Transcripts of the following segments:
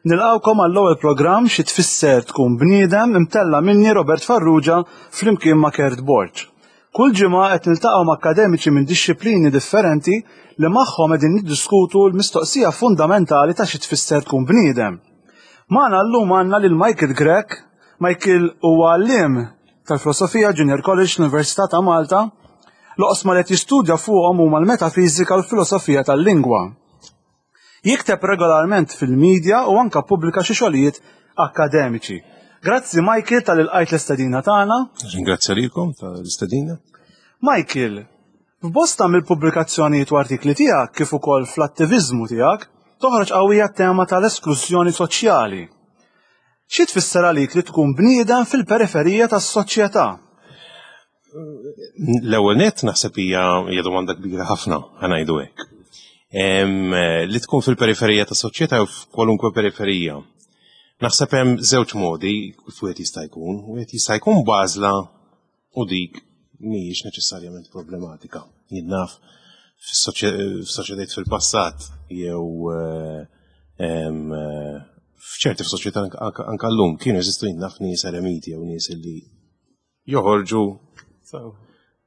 Nilqgħukom għall-ewwel programm Xi Tfisser Tkun Bniedem imtella' minni Robert Farrugia flimkien ma' Kurt Borg. Kull ġimgħa qed niltaqgħu ma' akkademiċi minn dixxiplini differenti li magħhom qegħdin niddiskutu l-mistoqsija fundamentali ta' xi tfisser tkun bniedem. Magħna llum għandna lil Michael Grech. Michael huwa għalliem tal-Filosofija Junior College l-Università ta' Malta. L-oqsma li qed jistudja fuqhom huma l-metafiżika u l-filosofija tal-lingwa. Jikteb regolarment fil-media u anka pubblika xi xogħlijiet akkademiċi. Grazzi Michael tal-ilqajt l-istedina tagħna. Ringrazzja lilkom tal-istedina. Michael, f'bosta mill-pubblikazzjonijiet u artikli tiegħek kif ukoll fl-attiviżmu tiegħek toħroġ qawwija t-tema tal-esklużjoni soċjali. Xi tfisser għalik li tkun bniedem fil-periferija tas-soċjetà? L-ewwel nett naħseb hija hija domanda kbira ħafna ħa ngħidu hekk. Li tkun fil-periferija ta' soċjetà jew f'kwalunkwe periferija. Naħseb hemm żewġ modi kif wieħed jista' jkun. Wieħed jista' jkun b'għażla u dik mhijiex neċessarjament problematika. Jien naf f'soċjetajiet fil-passat jew eh, eh, f'ċerti f'soċjetà anka llum kienu jeżistu jien naf nies eremiti jew nies li joħorġu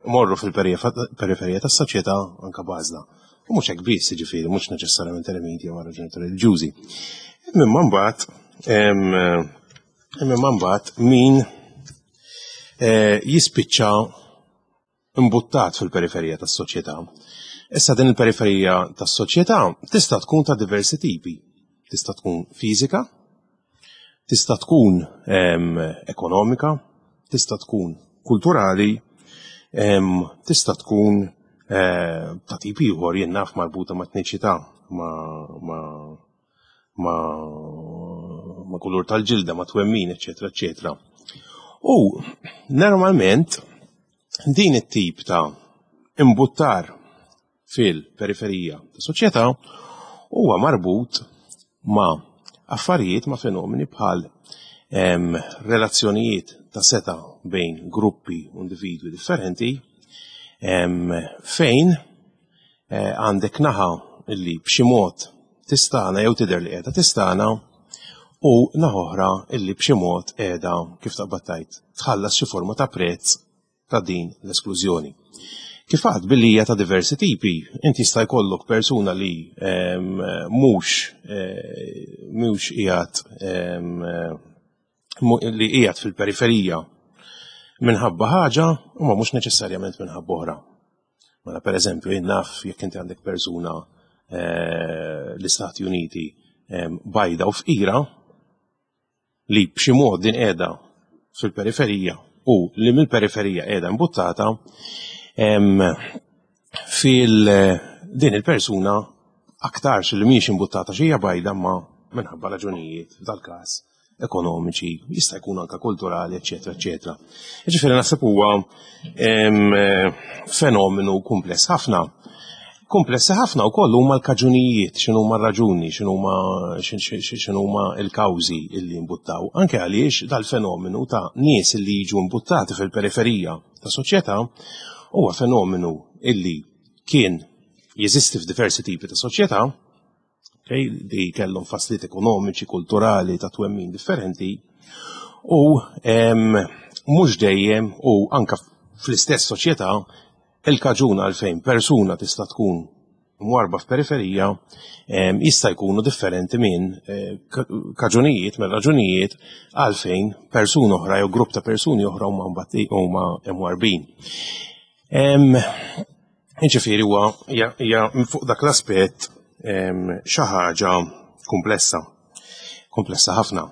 morru fil-periferija tas-soċjetà anka b'għażla. U mhux hekk biss, jiġifieri mhux neċessarjament eremiti jew raġunijiet reliġjużi. Imma mbagħad imma mbagħad min eh, jispiċċa imbuttat fil-periferija tas-soċjetà. Issa din il-periferija tas-soċjetà tista' tkun ta' diversi tipi. Tista' tkun fiżika, tista' tkun ekonomika, tista' tkun kulturali, tista' tkun eh, ta' tip ieħor jien naf marbuta ma' etniċità, ma' ma' kulur tal-ġilda, ma' twemmin, eċetera, eċetera. U normalment din it-tip ta' imbuttar fil-periferija ta' soċjetà huwa marbut ma' affarijiet ma' fenomeni bħal relazzjonijiet ta' seta' bejn gruppi u individwi differenti fejn eh, għandek naħa illi b'xi mod tistana jew tidher li qiegħda tistana u naħa oħra illi b'xi mod qiegħda kif taqbad tgħid tħallas xi forma ta' prezz ta' din l-esklużjoni. Kif għad billi hija ta' diversi tipi, inti jista' jkollok persuna li ehm, mhux eh, mhux qiegħed ehm, li qiegħed fil-periferija minħabba ħaġa u ma mhux neċessarjament minħabba oħra. Mela per eżempju, jien naf jekk inti għandek persuna eh, l-Istati Uniti ehm, bajda u fqira li b'xi mod din qiegħda fil-periferija u li mill-periferija qiegħda imbuttata ehm, fil din il-persuna aktarx li mhijiex imbuttata xi bajda ma minħabba raġunijiet f'dal-każ ekonomiċi, jista' jkun anka kulturali, eċetera, eċetera. Jiġifieri naħseb huwa fenomenu kumpless ħafna. Komplessi ħafna wkoll huma l-kaġunijiet, x'inhuma r-raġuni, x'inhuma x'inhuma l-kawżi illi imbuttaw. Anke għaliex dal-fenomenu ta' nies illi jiġu imbuttati fil-periferija ta' soċjetà huwa fenomenu illi kien jeżisti f'diversi tipi ta' soċjetà, okay, li kellhom fasliet ekonomiċi, kulturali, ta' twemmin differenti, u mhux dejjem u anka fl-istess soċjetà il-kaġun għalfejn persuna tista' tkun mwarba f'periferija jista' jkunu differenti minn eh, kaġunijiet, minn raġunijiet għalfejn persuna oħra jew grupp ta' persuni oħra huma huma mwarbin. Jiġifieri huwa hija fuq dak l-aspett xi ħaġa komplessa, komplessa ħafna.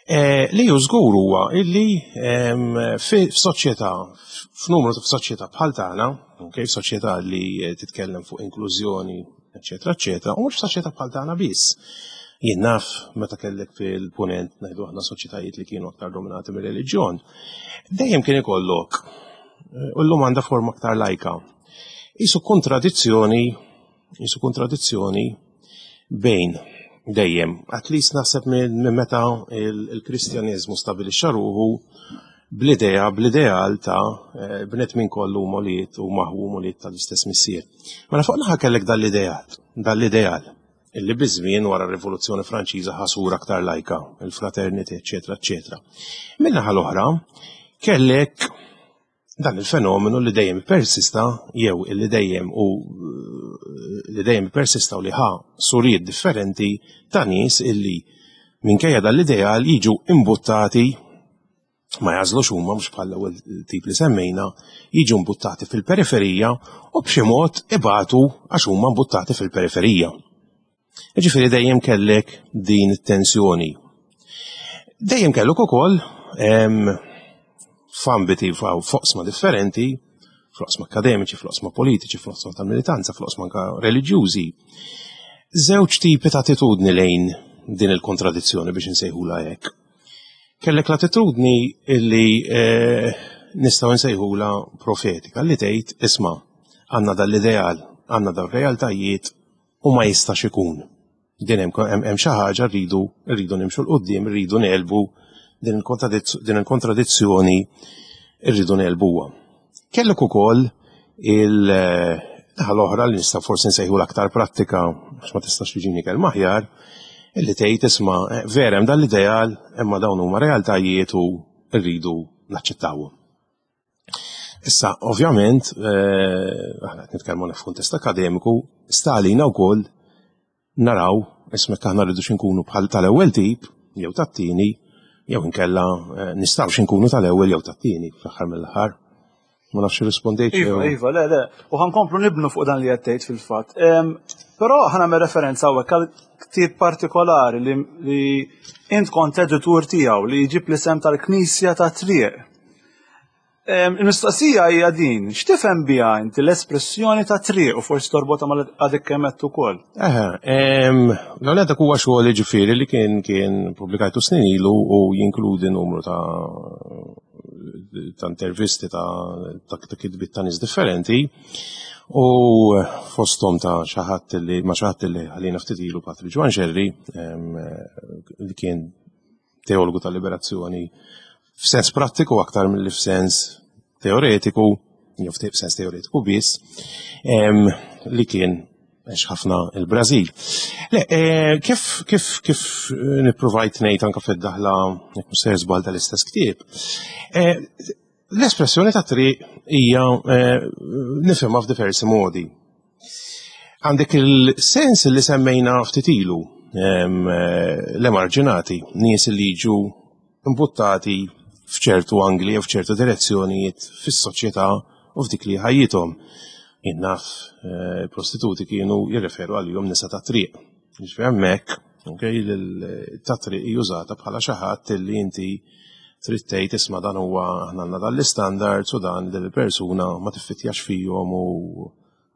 Eh, li ju żgur huwa illi f'soċjetà, f'numru ta' f'soċjetà bħal tagħna, okay, f'soċjetà li titkellem fuq inklużjoni, eċetera, eċetera, u mhux f'soċjetà bħal tagħna biss. Jien naf meta kellek fil-punent ngħidu aħna soċjetajiet li kienu aktar dominati mir-reliġjon, dejjem kien ikollok u llum għandha forma aktar lajka. Isu kontradizzjoni, isu kontradizzjoni bejn dejjem, at least naħseb minn meta il-Kristjaneżmu stabilixxa ruħu bl-idea, bl-ideal ta' eh, bnedmin kollu moliet u maħu moliet tal-istess missier. Mela fuq naħa kellek dal-ideal, dal-ideal. illi biż-żmien wara r-Rivoluzzjoni Franċiża ħa sura aktar lajka, il-fraternity, eċetera, eċetera. Min-naħa l-oħra, kellek dan il-fenomenu li dejjem persista jew li dejjem u li dejjem persista u li ħa suriet differenti ta' nies illi minkejja dal-ideal jiġu imbuttati ma jażlux huma mhux bħal l-ewwel tip li semmejna, jiġu mbuttati fil-periferija u b'xi mod ibatu għax huma mbuttati fil-periferija. Jiġifieri dejjem kellek din it-tensjoni. Dejjem kellek ukoll f'ambiti f'oqsma differenti, fl-oqsma akademiċi, fl-oqsma politiċi, fl-oqsma tal-militanza, fl-oqsma anka reliġjużi. Żewġ tipi ta' attitudni lejn din il-kontradizzjoni biex insejħula hekk. Kellek l-attitudni illi eh, nistgħu nsejħula profetika li tgħid isma' għandna dal-ideal, għandna dal-realtajiet u ma jistax ikun. Din hemm xi ħaġa rridu rridu nimxu l qudiem rridu nelbu din il-kontradizzjoni rridu nelbuha. Kellek ukoll il-naħa l-oħra li nista' forsi nsejħu l-aktar prattika għax ma tistax tiġini kelma aħjar, illi tgħid isma' eh, vera hemm dan l-ideal imma dawn huma realtajiet u rridu naċċettawhom. Issa, ovvjament, eh, aħna qed nitkellmu f'kuntest akademiku, sta għalina wkoll naraw ismek aħna rridu xinkunu bħal tal-ewwel tip jew tat-tieni jew inkella eh, nistgħu xinkunu tal-ewwel jew tat-tieni fl-aħħar mill-aħħar. Ma nafx rispondejt. Iva, iva, le, le. U ħankomplu nibnu fuq dan li qed tgħid fil-fatt. Però ħa nagħmel referenza hawnhekk għal ktieb partikolari li, li int kont editur tiegħu li jġib l-isem tal-Knisja ta' Triq. Il-mistoqsija hija din, x'tifhem biha inti l-espressjoni ta' triq u forsi torbotha mal għadek kemm għedt ukoll? Eħe, l dak huwa xogħol ġifieri li kien kien pubblikajtu snin ilu u jinkludi numru ta' ta' intervisti ta' ta' kitbiet ta' nies differenti u fosthom ta' xi ħadd li ma' xi ħadd li ħallina ftit ilu Patri Ġwann Xerri li kien teologu tal-liberazzjoni f'sens prattiku aktar milli f'sens teoretiku, jew f'sens teoretiku biss, li kien għex ħafna il-Brażil. Le, eh, kif kif kif eh, nippruvajt ngħid anke fid-daħla jekk mhux se żball tal-istess ktieb, eh, l-espressjoni ta' triq hija nifhimha f'diversi modi. Għandek il-sens li semmejna ftit ilu l-emarġinati, nies li jiġu imbuttati f'ċertu angli jew f'ċertu direzzjonijiet fis-soċjetà u f'dik li ħajjithom. Jien naf eh, prostituti kienu jirreferu għalihom nisa ta' triq. Ġifieri hemmhekk, okay, ta' triq jużata bħala xi ħadd li inti trid tgħid isma' dan huwa aħna għandna dan l-istandards u dan din il-persuna ma tiffitjax fihom u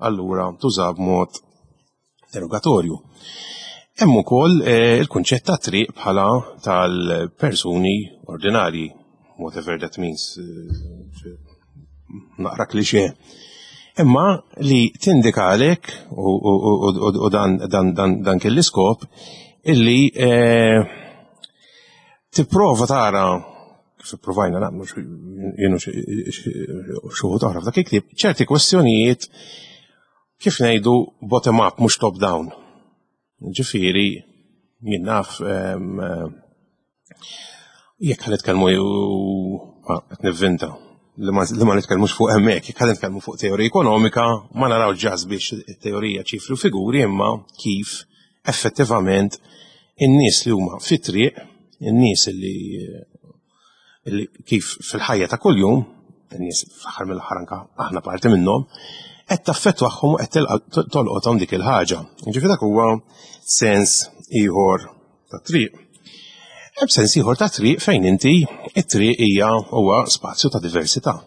allura tuża b'mod derogatorju. Hemm ukoll eh, il-kunċett ta' triq bħala tal-persuni ordinarji, whatever that means, eh, naqra klixe. Imma li tindikalek u dan, dan, dan, dan kien l-iskop illi eh, tipprova tara kif ipprovajna nagħmlu jienu xuħu oħra f'dak il-ktieb, ċerti kwestjonijiet kif ngħidu bottom up mhux top down. Ġifieri jien naf jekk ħa nitkellmu qed nivvinta li ma nitkellmux fuq hemmhekk, jekk ħa nitkellmu fuq teorija ekonomika, ma naraw ġas biex it-teorija ċifri u figuri imma kif effettivament in-nies li huma fit-triq, in-nies li kif fil-ħajja ta' kuljum, in-nies fl-aħħar mill-aħħar anka aħna parti minnhom, qed taffettwahom u qed tolqothom dik il-ħaġa. Ġifieri dak huwa sens ieħor ta' triq. Hemm sens ieħor ta' triq fejn inti it-triq hija huwa spazju ta' diversità.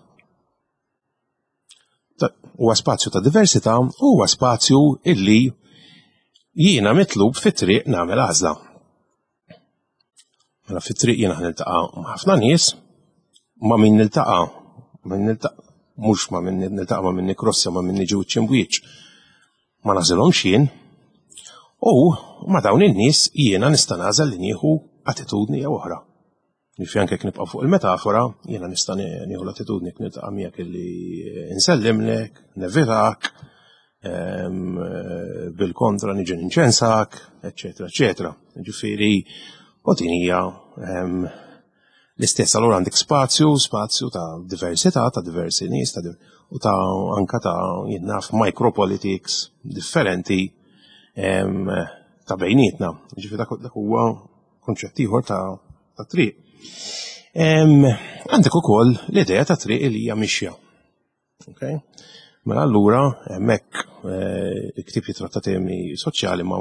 Huwa spazju ta' diversità u huwa spazju illi jiena mitlub fit-triq nagħmel għażla. Mela fit-triq jiena niltaqa' ma' ħafna nies, ma' min niltaqa' min niltaqa' mhux ma' min niltaqa' ma' min nikrossja ma' min niġi wiċċ imbwiċċ. Ma nagħżilhomx jien. U ma' dawn in-nies jiena nista' nagħżel li nieħu attitudni jew oħra. Jiġifieri anke jekk nibqgħu fuq il-metafora, jiena nista' nieħu l-attitudni jekk niltaqa' miegħek illi nsellimlek, nevitak, Bil-kontra niġi ninċensak, eċetera, eċetera. Ġifieri, u din hija l-istess allura għandek spazju, spazju ta' diversità, ta' diversi nies, ta' u ta' anka ta' jien naf micropolitics differenti ta' bejnietna. Ġifieri dak huwa konċett ieħor ta' triq. Għandek ukoll l-idea ta' triq li hija mixja. Okay? Mela allura hemmhekk eh, il-ktieb jitratta temi soċjali ma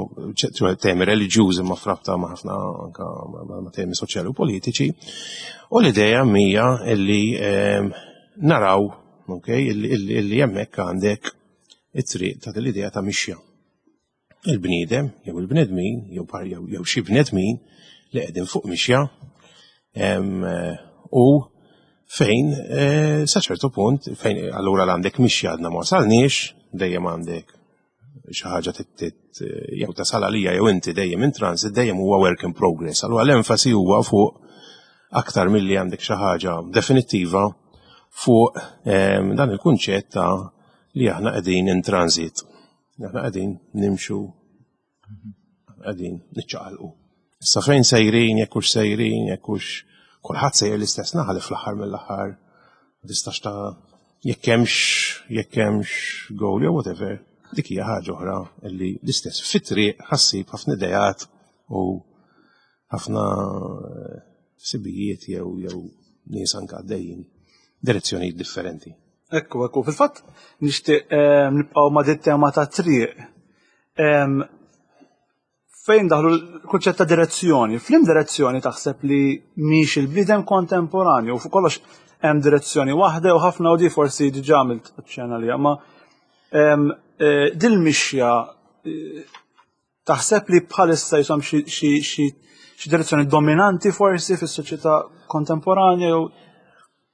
temi reliġjużi ma frabta ma ħafna anka ma temi soċjali u politiċi. U l-idea mija illi eh, naraw okay, illi hemmhekk għandek it-triq ta' l-idea ta' mixja. il-bniedem jew il-bnedmin jew jew xi bnedmin li qegħdin fuq mixja u fejn eh, sa ċertu punt fejn allura l-għandek mixja għadna ma wasalniex dejjem għandek xi ħaġa jew tasal għalija jew inti dejjem in transit dejjem huwa work in progress. Allura l-enfasi huwa fuq aktar milli għandek xi ħaġa definittiva fuq dan il-kunċett ta' li aħna qegħdin in transit. Aħna qegħdin nimxu, qegħdin niċċaqalqu. Issa fejn sejrin, jekk hux sejrin, jekk hux kulħadd sejjer l-istess naħa li fl-aħħar mill-aħħar ma tistax ta' jekk hemmx jekk hemmx goal jew whatever, dik hija ħaġa oħra li l-istess fit-triq ħassib ħafna idejat u ħafna eh, sibijiet jew jew nies anke għaddejjin direzzjonijiet differenti. Ekku, ekku. Fil-fatt nixtieq eh, nibqgħu ma' dit tema ta' triq. Fejn daħlu l-kunċett ta' direzzjoni. Flim direzzjoni taħseb li miex il-bniedem kontemporanju u fuq kollox hemm direzzjoni waħda u ħafna u di forsi diġà għamilt ċena li ma eh, dil-mixja eh, Taħseb li bħalissa jisom xi direzzjoni dominanti forsi fis-soċjetà kontemporanja jew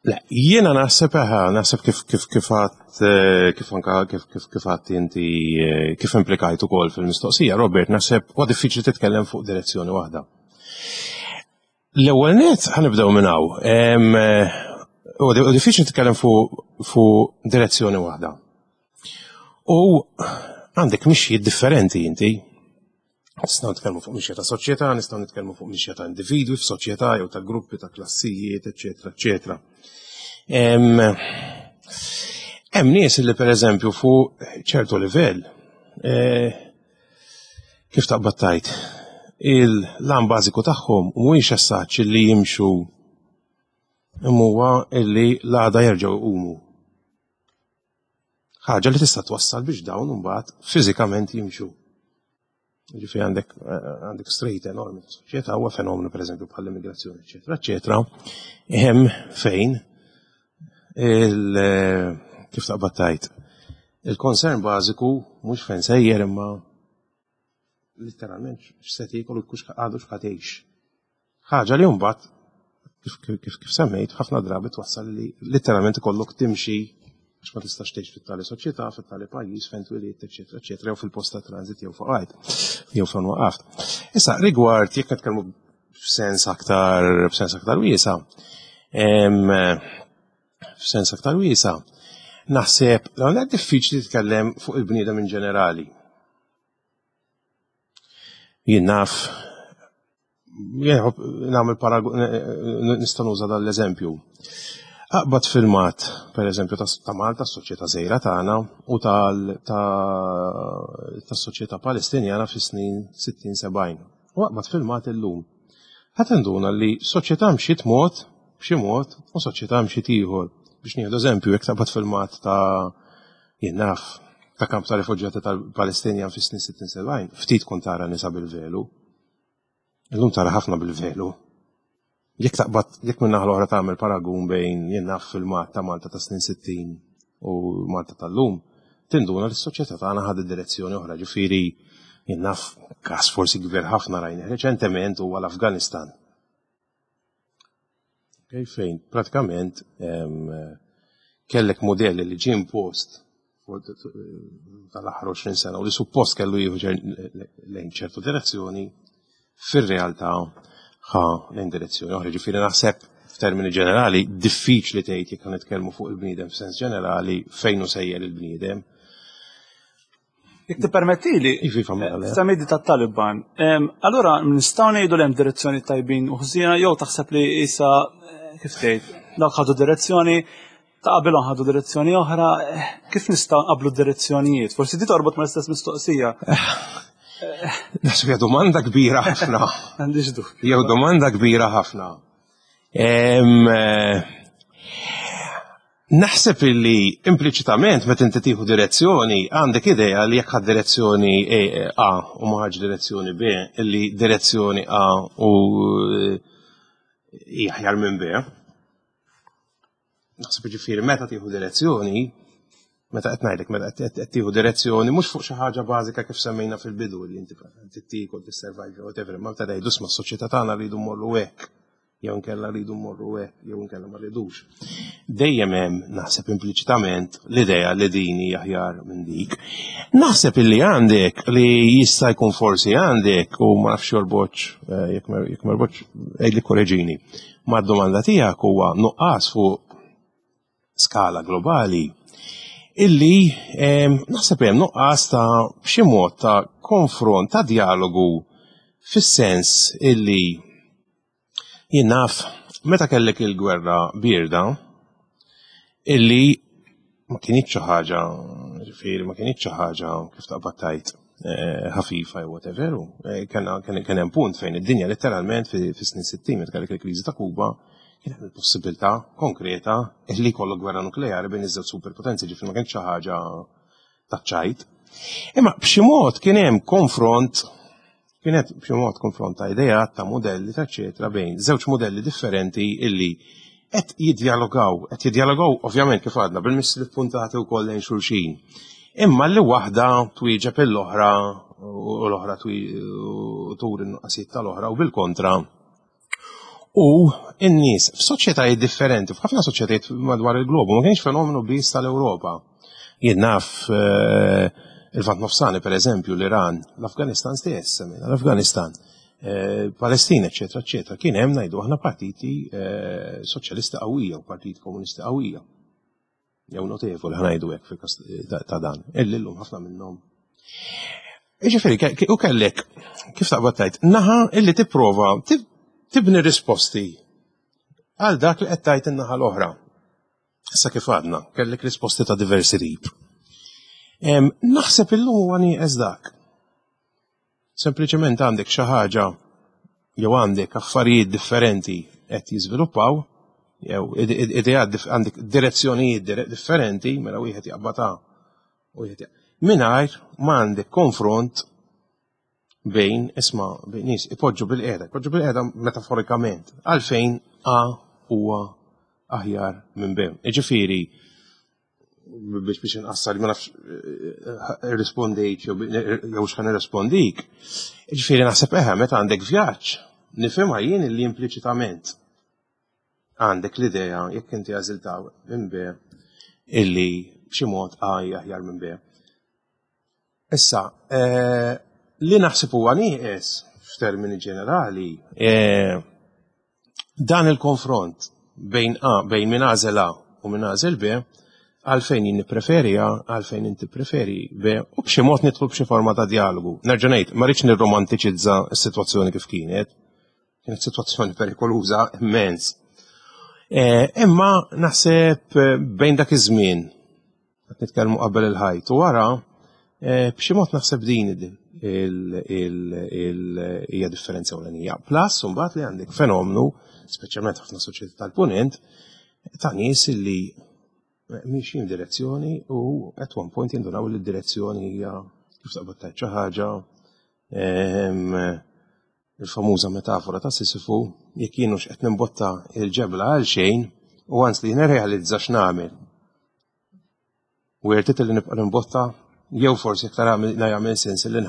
Le, jiena naħseb eħa, naħseb kif kif kif għat eh, kif anka kif kif kif għat inti eh, kif implikajt ukoll fil-mistoqsija, Robert, naħseb huwa diffiċli titkellem fuq direzzjoni waħda. L-ewwel net ħanibdew minn hawn. Eh, huwa diffiċli titkellem fuq direzzjoni waħda. U għandek mixjiet differenti inti. Nistgħu nitkellmu fuq mixja ta' soċjetà, nistgħu nitkellmu fuq mixja ta' individwi f'soċjetà jew ta' gruppi ta' klassijiet, eċetera, eċetera. Hemm nies li pereżempju fuq ċertu livell eh, kif taqbad tajt il-lan bażiku tagħhom mhuwiex assaċ li jimxu imma huwa illi l-għada jerġgħu jqumu. Ħaġa li tista' twassal biex dawn imbagħad fiżikament jimxu. Ġifieri għandek eh, għandek straight enormi ta' soċjetà huwa fenomenu pereżempju bħall-immigrazzjoni, eċetera, eċetera. Hemm fejn il eh, kif taqbad tajt il-concern bażiku mhux fejn sejjer imma literalment x'se tiekol u kux għadu x'ħatejx. Ħaġa li mbagħad kif, kif, kif semmejt ħafna drabi twassal li literalment ikollok timxi għax ma tistax tgħix fit-tali soċjetà, fit-tali pajjiż fejn twilidt, eċetera, eċetera, jew fil-post ta' transit jew fuq jew fejn waqaft. Issa rigward jekk nitkellmu f'sens aktar f'sens aktar wiesa, f'sens aktar wiesa, naħseb l diffiċli titkellem fuq il-bniedem in ġenerali. Jien naf, nagħmel paragun, nista' nuża dan l-eżempju. Aqbad filmat, per eżempju, ta' Malta, s-soċjetà żgħira tagħna, u tas-soċjetà Palestinjana fis-snin 60-70. U aqbad filmat illum. Ħa tinduna li soċjetà mxiet mod, b'xi mod, u soċjetà mxiet ieħor. Biex nieħdu eżempju, jekk taqbad filmat ta' Jien naf, ta' kamp ta' rifuġjati tal-Palestinjan fis-snin 60-70, ftit kont tara nisa bil-velu. Illum tara ħafna bil-velu. Jekk taqbad, jekk minn naħa l-oħra tagħmel paragun bejn jien naf filmat ta' Malta ta' snin 60 u Malta tal-lum, tinduna li s-soċjetà tagħna ħadet direzzjoni oħra, ġifieri jien naf każ forsi kbir ħafna rajni reċentement huwa l-Afganistan. Okay, fejn pratikament kellek modell li ġie impost tal-aħħar 20 sena u li suppost kellu jieħu lejn ċertu direzzjoni, fir-realtà ħa lejn direzzjoni oħra. Ġifieri naħseb f'termini ġenerali diffiċli tgħid jekk nitkellmu fuq il-bniedem f'sens ġenerali fejn hu sejjer il-bniedem. Jekk tippermettili, Iva, mela, le. Semmejt tat-Taliban. Allura nistgħu ngħidu li hemm direzzjoni tajbin u ħżiena jew taħseb li issa kif tgħid, dawk ħadu direzzjoni, ta' qabilhom ħadu direzzjoni oħra, kif nistgħu nqablu direzzjonijiet? Forsi di torbot mal-istess mistoqsija. Naħseb hija domanda kbira ħafna. Għandix dubju. Jew domanda kbira ħafna. Naħseb illi impliċitament meta inti tieħu direzzjoni għandek idea li jekk ħadd direzzjoni A u ma ħadx direzzjoni B, illi direzzjoni A u hija aħjar minn B. Naħseb ġifieri meta tieħu direzzjoni, meta qed ngħidlek meta qed tieħu direzzjoni mhux fuq xi ħaġa bażika kif semmejna fil-bidu li inti tiekol tissurvive whatever, imma meta tgħidu isma' s-soċjetà tagħna rridu mmorru hekk jew inkella rridu mmorru hekk jew inkella ma rridux. Dejjem hemm naħseb impliċitament l-idea li din hija aħjar minn dik. Naħseb illi għandek li jista' jkun forsi għandek u ma nafx jorbotx eh, jekk ma jorbotx għidli korreġini. Ma d-domanda tiegħek huwa nuqqas fuq skala globali illi ehm, naħseb hemm nuqqas ta' b'xi mod ta' konfront ta' dialogu fis-sens illi Jien naf, meta kellek il-gwerra bierda, illi ma kinitx xi ħaġa, ġifieri ma kinitx xi ħaġa kif taqbad tgħid eh, ħafifa jew whatever, eh, kien hemm punt fejn id-dinja letteralment fis-snin 60 meta kellek il-kriżi ta' Kuba, kien hemm il-possibilità konkreta li jkollok gwerra nukleari bejn iż-żewġ superpotenzi, ġifieri ma kienx xi ħaġa taċ-ċajt. Imma b'xi mod kien hemm konfront kienet b'xi mod konfront ta' ideat, ta' modelli, ta' eċetera bejn żewġ modelli differenti illi qed jiddialogaw, qed jiddialogaw ovvjament kif għadna bil-missili puntati wkoll lejn xulxin. Imma li waħda twieġeb l-oħra u l-oħra turi n-nuqqasijiet tal-oħra u bil-kontra U n-nies f'soċjetajiet differenti, f'ħafna soċjetajiet madwar il-globu, ma kienx fenomenu biss tal-Ewropa. Jien naf eh, il-Vant Nofsani, per eżempju, l-Iran, l-Afganistan stess, l-Afganistan, eh, Palestina, eccetera, eccetera, kien hemm ngħidu aħna partiti eh, soċjalisti qawwija u partiti komunisti qawwija. jew notevoli ħanajdu hekk fil-każ ta' dan, illi llum ħafna minnhom. Jiġifieri, u kellek, kif taqbad tajt, naħa illi tipprova tibni risposti għal dak li qed tajt in-naħa l-oħra. Issa kif għadna, kellek risposti ta' diversi tip. Naħseb illum huwa nieqes dak. Sempliċement għandek xi ħaġa jew għandek affarijiet differenti qed jiżviluppaw, jew ideat għandek direzzjonijiet differenti, mela wieħed jaqbad A u wieħed mingħajr ma għandek konfront bejn isma' bejn nies ipoġġu bil-qiegħda, ipoġġu bil-qiegħda metaforikament, għalfejn A huwa aħjar minn B. Jiġifieri biex biex inqassar ma nafx eh, irrispondejt jew jew x'ħan irrispondik. Ġifieri naħseb eħe meta għandek vjaġġ, nifhimha jien li impliċitament għandek l-idea jekk inti għażilta minn B illi b'xi mod A hija aħjar minn B. Issa, eh, li naħseb huwa nieqes f'termini ġenerali, eh, dan il-konfront bejn A, bejn min għażel A u min għażel B, għalfejn jien nippreferi A, għalfejn inti preferi B, u b'xi mod nidħlu b'xi forma ta' dialogu. Nerġa' ngħid, ma rridx nirromantiċizza s-sitwazzjoni kif kienet, kienet sitwazzjoni perikoluża immens. Eh, imma naħseb bejn dak iż-żmien qed nitkellmu qabel il-ħajt u wara eh, b'xi mod naħseb din hija differenza ewlenija. Plus imbagħad li għandek fenomenu, speċjalment ħafna soċjetà tal-punent, ta' nies li miexjin direzzjoni u at one point jindunaw li d-direzzjoni hija kif taqbad tgħid xi ħaġa ehm, il-famuża metafora ta' Sisifu, jekk jien hux qed nimbotta il-ġebla għal xejn u għans li nirrealizza x'nagħmel. Worth it li nibqa' nimbotta jew forsi iktar jagħmel sens li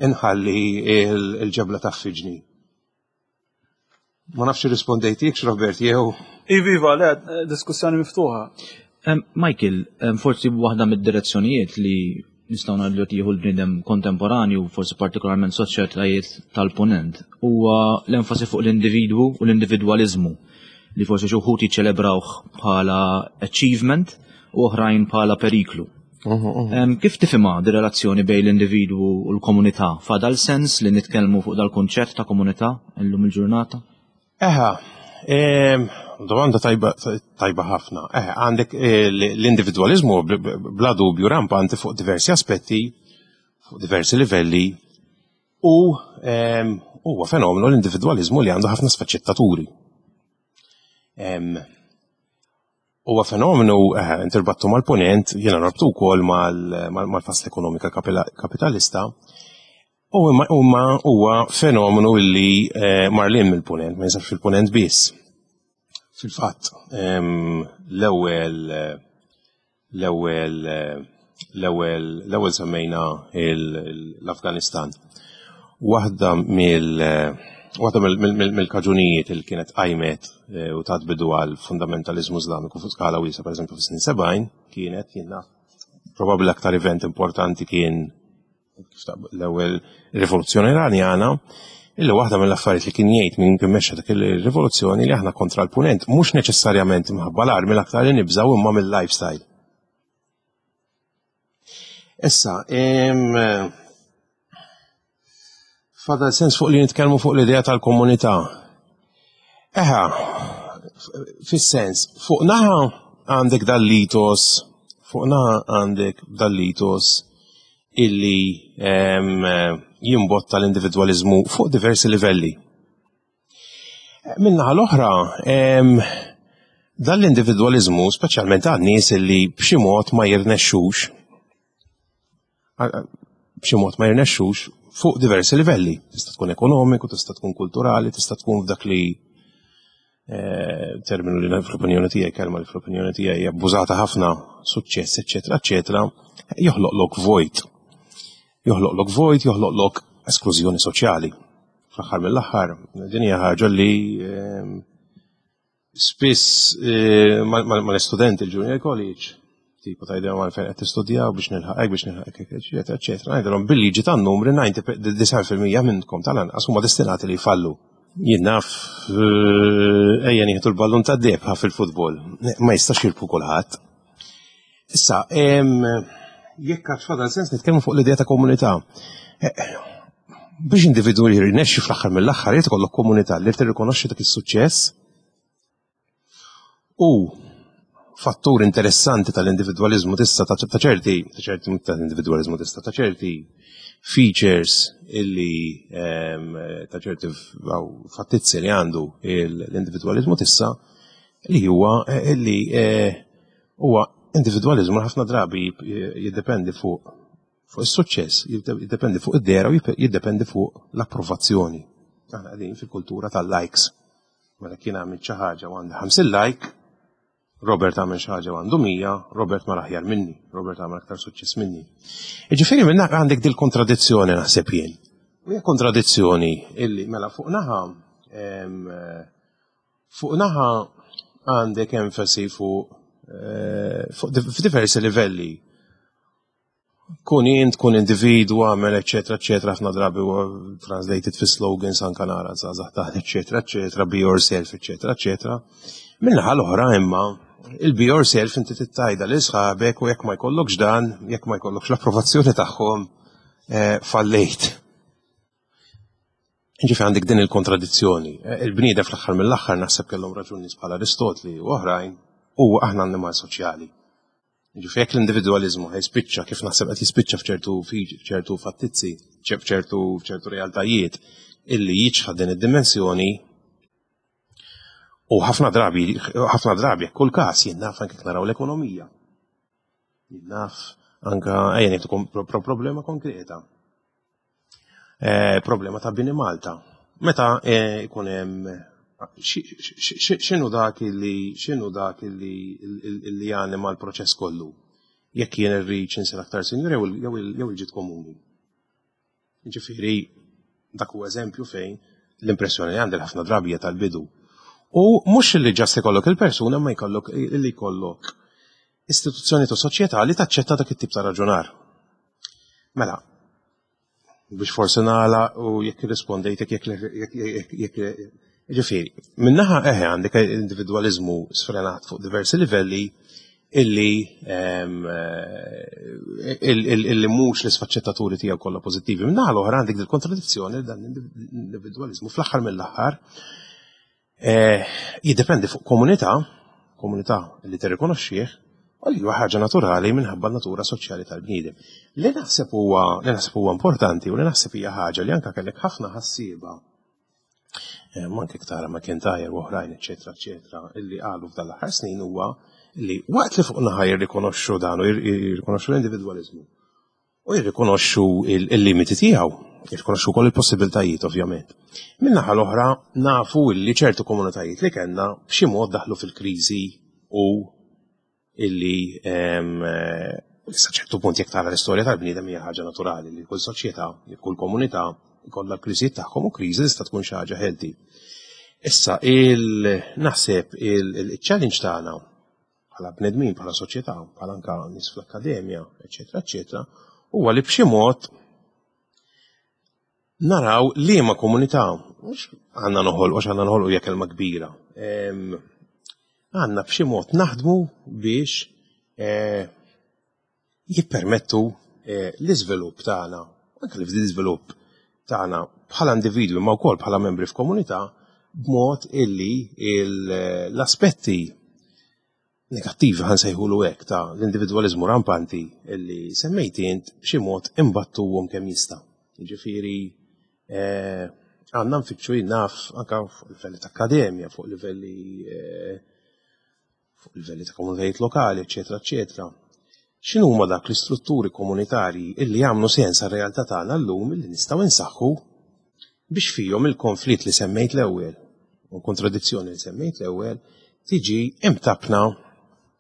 nħalli il-ġebla taffiġni. Ma nafx irrispondejtikx Robert jew. Iva, iva, le, diskussjoni miftuħa. Michael, forsi waħda mid-direzzjonijiet li nistgħu ngħidu li jieħu l-bniedem kontemporanju, forsi partikolarment soċjetajiet tal-punent, huwa l-enfasi fuq l-individwu u l-individwaliżmu li forsi xi wħud jiċċelebrawh bħala achievement u oħrajn bħala periklu. Kif tifhimha di relazzjoni bejn l-individwu u l-komunità? Fadal sens li nitkellmu fuq dal-kunċett ta' komunità illum il-ġurnata? Eħa, domanda tajba, tajba ħafna. Eħe, għandek eh, l-individualizmu bla dubju rampanti fuq diversi aspetti, fuq diversi livelli, u huwa fenomenu l-individualizmu li għandu ħafna sfaċċettaturi. Huwa fenomenu eh, interbattu mal-ponent, jiena norbtu wkoll mal-fasla ekonomika kapitalista, U imma huwa fenomenu illi eh, marlin mill-punent, ma jinsabx fil-punent biss. Fil-fatt, ehm, l-ewwel l-ewwel l-ewwel l-ewwel semmejna l-Afganistan. Waħda mill waħda mill-kaġunijiet li kienet qajmet eh, u tat bidu għal fundamentalizmu Islamiku fuq skala wiesa pereżempju fis-snin 70 kienet jiena probabbli l-aktar event importanti kien l-ewwel rivoluzzjoni Iranjana, illi waħda mill-affarijiet li kien jgħid minn kien mexxa dak il-rivoluzzjoni li aħna kontra l-punent mhux neċessarjament imħabba l-armi l-aktar li nibżgħu imma mill-lifestyle. Issa, fadal sens fuq li nitkellmu fuq l-idea tal-komunità. Eħa, fis-sens, fuq naħa għandek dal-litos, fuq naħa għandek dal-litos illi jimbotta l-individwaliżmu fuq diversi livelli. Minnaħa l-oħra, dan l-individwaliżmu, speċjalment għan nies illi b'xi mod ma jirnexxux, b'xi mod ma jirnexxux fuq diversi livelli. Tista' tkun ekonomiku, tista' tkun kulturali, tista' tkun f'dak li eh, terminu li fl-opinjoni tiegħi, kelma li fl-opinjoni tiegħi abbużata ħafna, suċċess, eċetera, eċetera, joħloqlok vojt. Joħloqlok vojt, joħloqlok esklużjoni soċjali. Fl-aħħar mill-aħħar, din hija ħaġa li ehm, Spiss eh, mal-istudenti il-junior college, tipo tajdilhom għalfejn qed tistudjaw biex nilħaq biex nilħaq eċetera, eċetera. Ngħidilhom bil-liġi tan-numri 99% minnkom tal-anqas huma destinati li jfallu. Jien naf eh, ejja nieħdu l-ballun tad-deb fil-futbol. Ma jistax jirbħu kulħadd. Issa, jekk għad fadal sens nitkellmu fuq l-idea ta' komunità. Eh, biex individu jirnexxi fl-aħħar mill-aħħar jrid ikollok komunità li tirrikonoxxi dak is-suċċess u fattur interessanti tal-individwaliżmu tista' ta' ċerti ta' ċerti tal-individwaliżmu tista' ta' ċerti features illi ta' ċerti fattizzi li għandu l-individwaliżmu tista' li huwa eh, illi eh, Huwa individwaliżmu li ħafna drabi jiddependi fuq fuq is-suċċess, jiddependi fuq id-dera u jiddependi fuq l-approvazzjoni. Aħna qegħdin fil-kultura tal-likes. Mela kien għamil xi ħaġa u għandi 50 like, Robert għamel xi ħaġa u għandu 100, Robert mar aħjar minni, Robert għamel aktar suċċess minni. Jiġifieri minn għandek dil-kontradizzjoni naħseb jien. U hija kontradizzjoni illi mela fuq naħa Fuq naħa għandek enfasi fuq eh, f'diversi livelli. Kun int, kun individu, għamel, eccetera, eccetera, ħafna drabi huwa translated fi slogans anka nara żgħażagħ taħt, eccetera, eccetera, be yourself, eccetera, eccetera. Minnaħa l-oħra imma il-be yourself inti tittajda lil sħabek u jekk ma jkollokx dan, jekk ma jkollokx l-approvazzjoni tagħhom, eh, fallejt. Ġifi għandek din il-kontradizzjoni. Eh, il-bniedem fl-aħħar mill-aħħar naħseb kellhom raġun nies bħal Aristotli u oħrajn u aħna annimal soċjali. Ġifi jekk l-individwaliżmu ħajspiċċa kif naħseb qed jispiċċa f'ċertu f'ċertu fattizzi, f'ċertu f'ċertu realtajiet illi jiċħad din id-dimensjoni u ħafna drabi ħafna drabi kull każ jien naf anke naraw l-ekonomija. Jien naf anka ejja ngħid problema konkreta. Eh, problema ta' bini Malta. Meta eh, ikun hemm x'inhu dak li x'inhu dak li li janima l-proċess kollu? Jekk jien irrid insir aktar sinjur jew il-ġid komuni. Ġifieri dak huwa eżempju fejn l-impressjoni li għandi ħafna drabi hija tal-bidu. U mhux li ġast ikollok il-persuna ma jkollok li jkollok istituzzjoni ta' soċjetà li taċċetta dak it-tip ta' raġunar. Mela, biex forsi nagħla u jekk irrispondejtek jekk jekk ġifieri, minnaħa eħe għandek individwaliżmu sfrenat fuq diversi livelli, illi illi mhux l-isfaċċettaturi tiegħu kollha pożittivi. Min-naħa l-oħra għandek dil-kontradizzjoni dan l-individwaliżmu fl-aħħar mill-aħħar eh, jiddependi fuq komunità, komunità li tirrikonoxxih, u li huwa ħaġa naturali minħabba natura soċjali tal-bniedem. Li naħseb huwa li naħseb huwa importanti u li naħseb hija ħaġa li anke kellek ħafna ħassieba eh, anke tara McIntyre u oħrajn, eċetera, eċetera, illi qalu f'dan l-aħħar snin huwa li waqt li fuq naħa jirrikonoxxu dan u jirrikonoxxu l-individwaliżmu u jirrikonoxxu il-limiti tiegħu, jirrikonoxxu wkoll il-possibiltajiet ovvjament. Min-naħa l-oħra nafu illi ċertu komunitajiet li kellna b'xi mod daħlu fil-kriżi u illi eh, sa ċertu punt jekk tara l-istorja tal-bniedem hija ħaġa naturali li kull soċjetà, li kull komunità jkollha l-kriżijiet tagħhom u kriżi tista' tkun xi ħaġa healthy. Issa il naħseb il-challenge tagħna bħala bnedmin, bħala soċjetà, bħala anka nies fl-akkademja, eċetera, eċetera, huwa li b'xi mod naraw liema komunità, mhux għandna noħolqu, għax għandna noħolqu hija kelma kbira. Għandna b'xi mod naħdmu biex eh, jippermettu eh, l-iżvilupp tagħna, anke l-iżvilupp tagħna bħala individwi ma wkoll bħala membri f'komunità b'mod illi l-aspetti negattivi ħan sejħulu hekk ta' l-individwaliżmu rampanti illi semmejt int b'xi mod imbattuhom kemm jista'. Jiġifieri eh, għandna nfittxu naf anke fuq livelli ta' akkademja, fuq livelli eh, fuq livelli ta' komunitajiet lokali, eċetera, eċetera. X'inhuma dak l-istrutturi komunitarji illi jagħmlu sens għar-realtà tagħna llum illi nistgħu insaħħu biex fihom il-konflitt li semmejt l-ewwel u kontradizzjoni li semmejt l-ewwel tiġi imtabna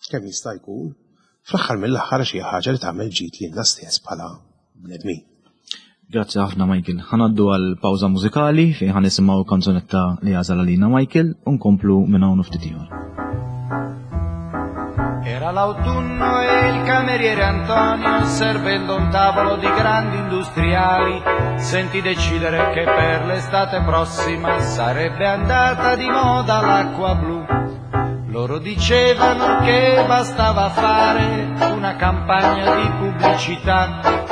kemm jista' jkun fl-aħħar mill-aħħar xi ħaġa li tagħmel ġid lilna stess bħala bnedmin. Grazzi ħafna Michael. Ħanaddu għal pawża mużikali fejn ħa nisimgħu kanzunetta li għażel għalina Michael u nkomplu minn hawn ftit ieħor. Era l'autunno e il cameriere Antonio, servendo un tavolo di grandi industriali, sentì decidere che per l'estate prossima sarebbe andata di moda l'acqua blu. Loro dicevano che bastava fare una campagna di pubblicità,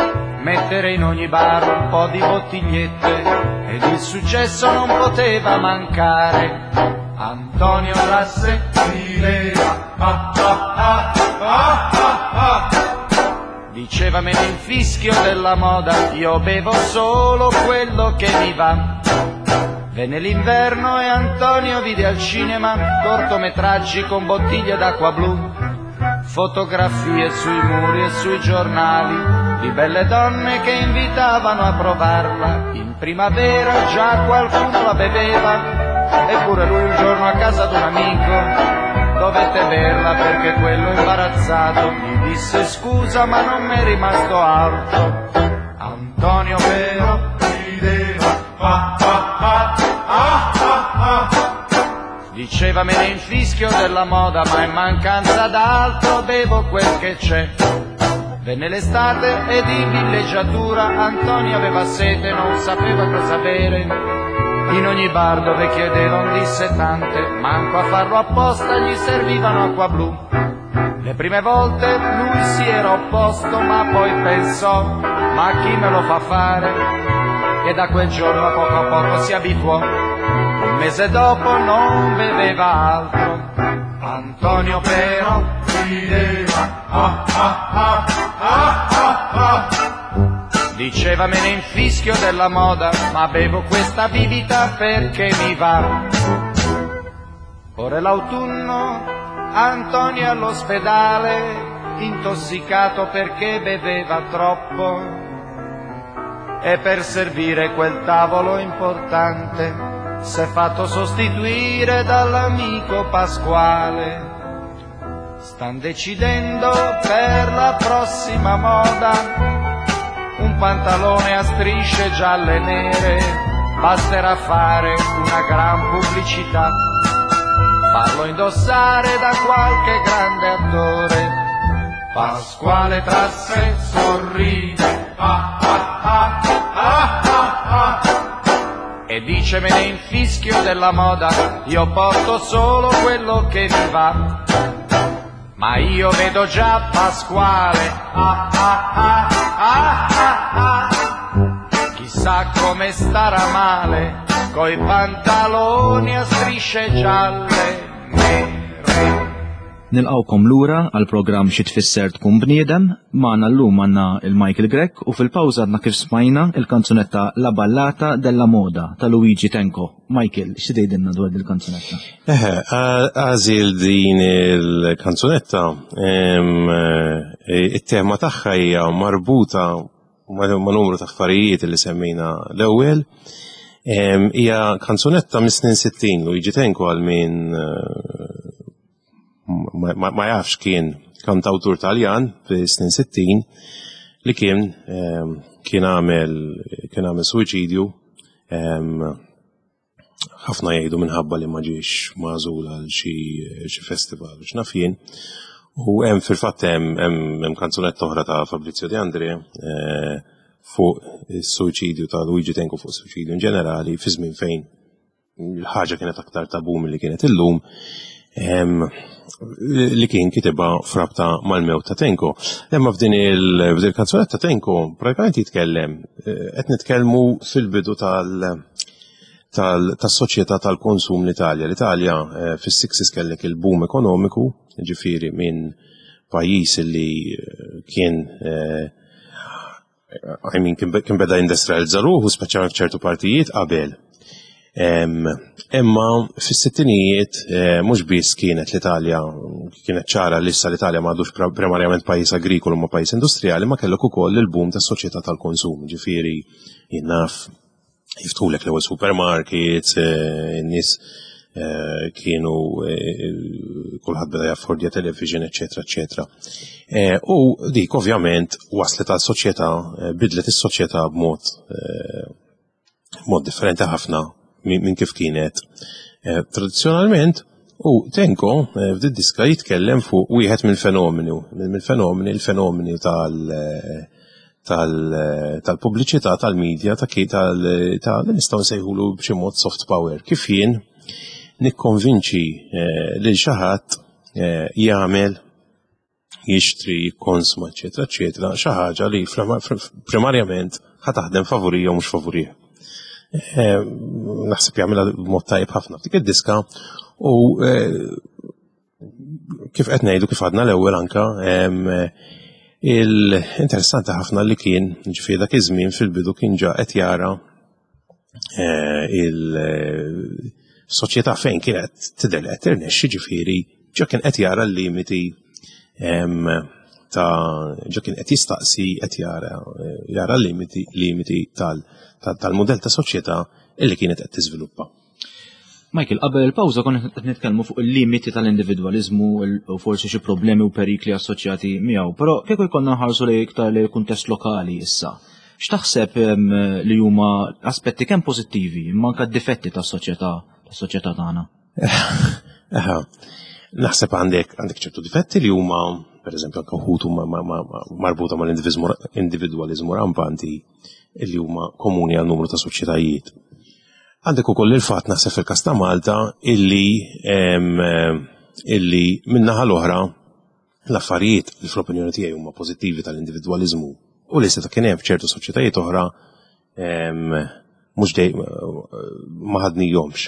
mettere in ogni bar un po' di bottigliette ed il successo non poteva mancare. Antonio tra sé rideva, ah ah ah ah ah ah. Diceva me ne infischio della moda, io bevo solo quello che mi va. Venne l'inverno e Antonio vide al cinema cortometraggi con bottiglie d'acqua blu, fotografie sui muri e sui giornali di belle donne che invitavano a provarla. In primavera già qualcuno la beveva, eppure lui un giorno a casa d'un amico dovette berla perché quello imbarazzato gli disse scusa ma non m'è rimasto altro. Antonio però rideva, ah ah ah ah ah ah. Diceva me ne infischio della moda, ma in mancanza d'altro bevo quel che c'è. Venne l'estate ed in villeggiatura Antonio aveva sete, non sapeva cosa bere. In ogni bar dove chiedeva un dissetante, manco a farlo apposta gli servivano acqua blu. Le prime volte lui si era opposto, ma poi pensò, ma chi me lo fa fare? E da quel giorno a poco a poco si abituò. Un mese dopo non beveva altro. Antonio però rideva, ah ah ah ah ah ah. Diceva me ne infischio della moda, ma bevo questa bibita perché mi va. Ora è l'autunno, Antonio è all'ospedale, intossicato perché beveva troppo. E per servire quel tavolo importante s'è fatto sostituire dall'amico Pasquale. Stan decidendo per la prossima moda un pantalone a strisce gialle e nere, basterà fare una gran pubblicità, farlo indossare da qualche grande attore. Pasquale tra sé sorride, ah ah ah ah ah ah. E dice me ne infischio della moda, io porto solo quello che mi va. Ma io vedo già Pasquale, ah ah ah ah ah ah. Chissà come starà male, coi pantaloni a strisce gialle, nere. Nilqgħukom lura għall-programm Xi Tfisser Tkun Bniedem. Magħna llum għandna il-Michael Grech u fil-pawża għadna kif smajna il-kanzunetta La Ballata della Moda ta' Luigi Tenco. Michael, xi tgħidilna dwar dil-kanzunetta? Eħe, għażil din il-kanzunetta, eh, it-tema tagħha hija marbuta ma' numru ta' affarijiet li semmejna l-ewwel. Hija kanzunetta mis-snin 60 Luigi Tenco għal min eh, ma jafx kien kantawtur Taljan fis-snin 60 li kien kien għamel kien għamel suwiċidju ħafna jgħidu minħabba li ma ġiex magħżul għal xi festival u x'naf jien. U hemm fil-fatt hemm hemm kanzunetta oħra ta' Fabrizio De André eh, fuq is-suwiċidju ta' Luigi Tenco fuq is-suwiċidju in ġenerali fi żmien fejn l-ħaġa kienet aktar tabu milli kienet illum li kien kitibha frabta mal-mewt ta' Tenko. Imma f'din il-kanzunetta Tenko pratikament jitkellem, eh, qed nitkellmu fil-bidu tal- tas-soċjetà tal-konsum l-Italja. L-Italja eh, fis-60s kellek il-boom ekonomiku, ġifieri minn pajjiż li eh, kien I mean, kien beda industrializza ruħu, speċjalment f'ċertu partijiet qabel. Imma fis-sittinijiet eh, mhux biss kienet l-Italja kienet ċara li issa l-Italja m'għadux primarjament pajjiż agrikolu ma pajjiż industrijali, ma kellek ukoll il-boom tas-soċjetà tal-konsum, ġifieri jien naf jiftħulek l-ewwel supermarkets, eh, in-nies eh, kienu eh, kulħadd beda jaffordja television, eċetera, eċetera. U dik ovvjament waslet għal soċjetà, bidlet is-soċjetà b'mod mod differenti ħafna minn kif kienet tradizzjonalment. U Tenko f'did diska jitkellem fuq wieħed mill-fenomeni, mill-fenomeni, il-fenomeni tal- tal-pubbliċità, tal-medja, ta' tal li nistgħu nsejħulu b'xi mod soft power. Kif jien nikkonvinċi eh, lil xi ħadd eh, jagħmel jixtri, jikkonsma, eċetera, eċetera, xi ħaġa li primarjament ħa taħdem favurija u mhux favurija. Eh, naħseb jagħmilha b'mod tajjeb ħafna f'dik id-diska u kif qed ngħidu kif għadna l-ewwel anka il-interessanti ħafna li kien ġifieri dak iż-żmien fil-bidu kien ġa qed jara eh, il-soċjetà fejn kienet tidher li qed tirnexxi ġifieri ġa kien qed jara l-limiti ta' ġa kien qed jistaqsi qed jara jara l-limiti limiti tal-mudell ta' soċjetà illi kienet qed tiżviluppa. Michael, qabel il-pawża konna qed nitkellmu fuq il-limiti tal-individwaliżmu u forsi xi problemi u perikli assoċjati miegħu, però kieku jkollna nħarsu lejn iktar lejn kuntest lokali issa. X'taħseb li huma aspetti kemm pożittivi imma anke difetti tas-soċjetà tas-soċjetà tagħna? Naħseb għandek għandek ċertu difetti li huma pereżempju anke wħud huma marbuta mal-individwaliżmu rampanti li huma komuni għal numru ta' soċjetajiet. Għandek ukoll il-fatt naħseb fil-każ ta' Malta illi illi min-naħa l-oħra l-affarijiet li fl-opinjoni tiegħi huma pożittivi tal-individwaliżmu u li seta' kien hemm f'ċertu soċjetajiet oħra mhux dej ma ħadnihomx.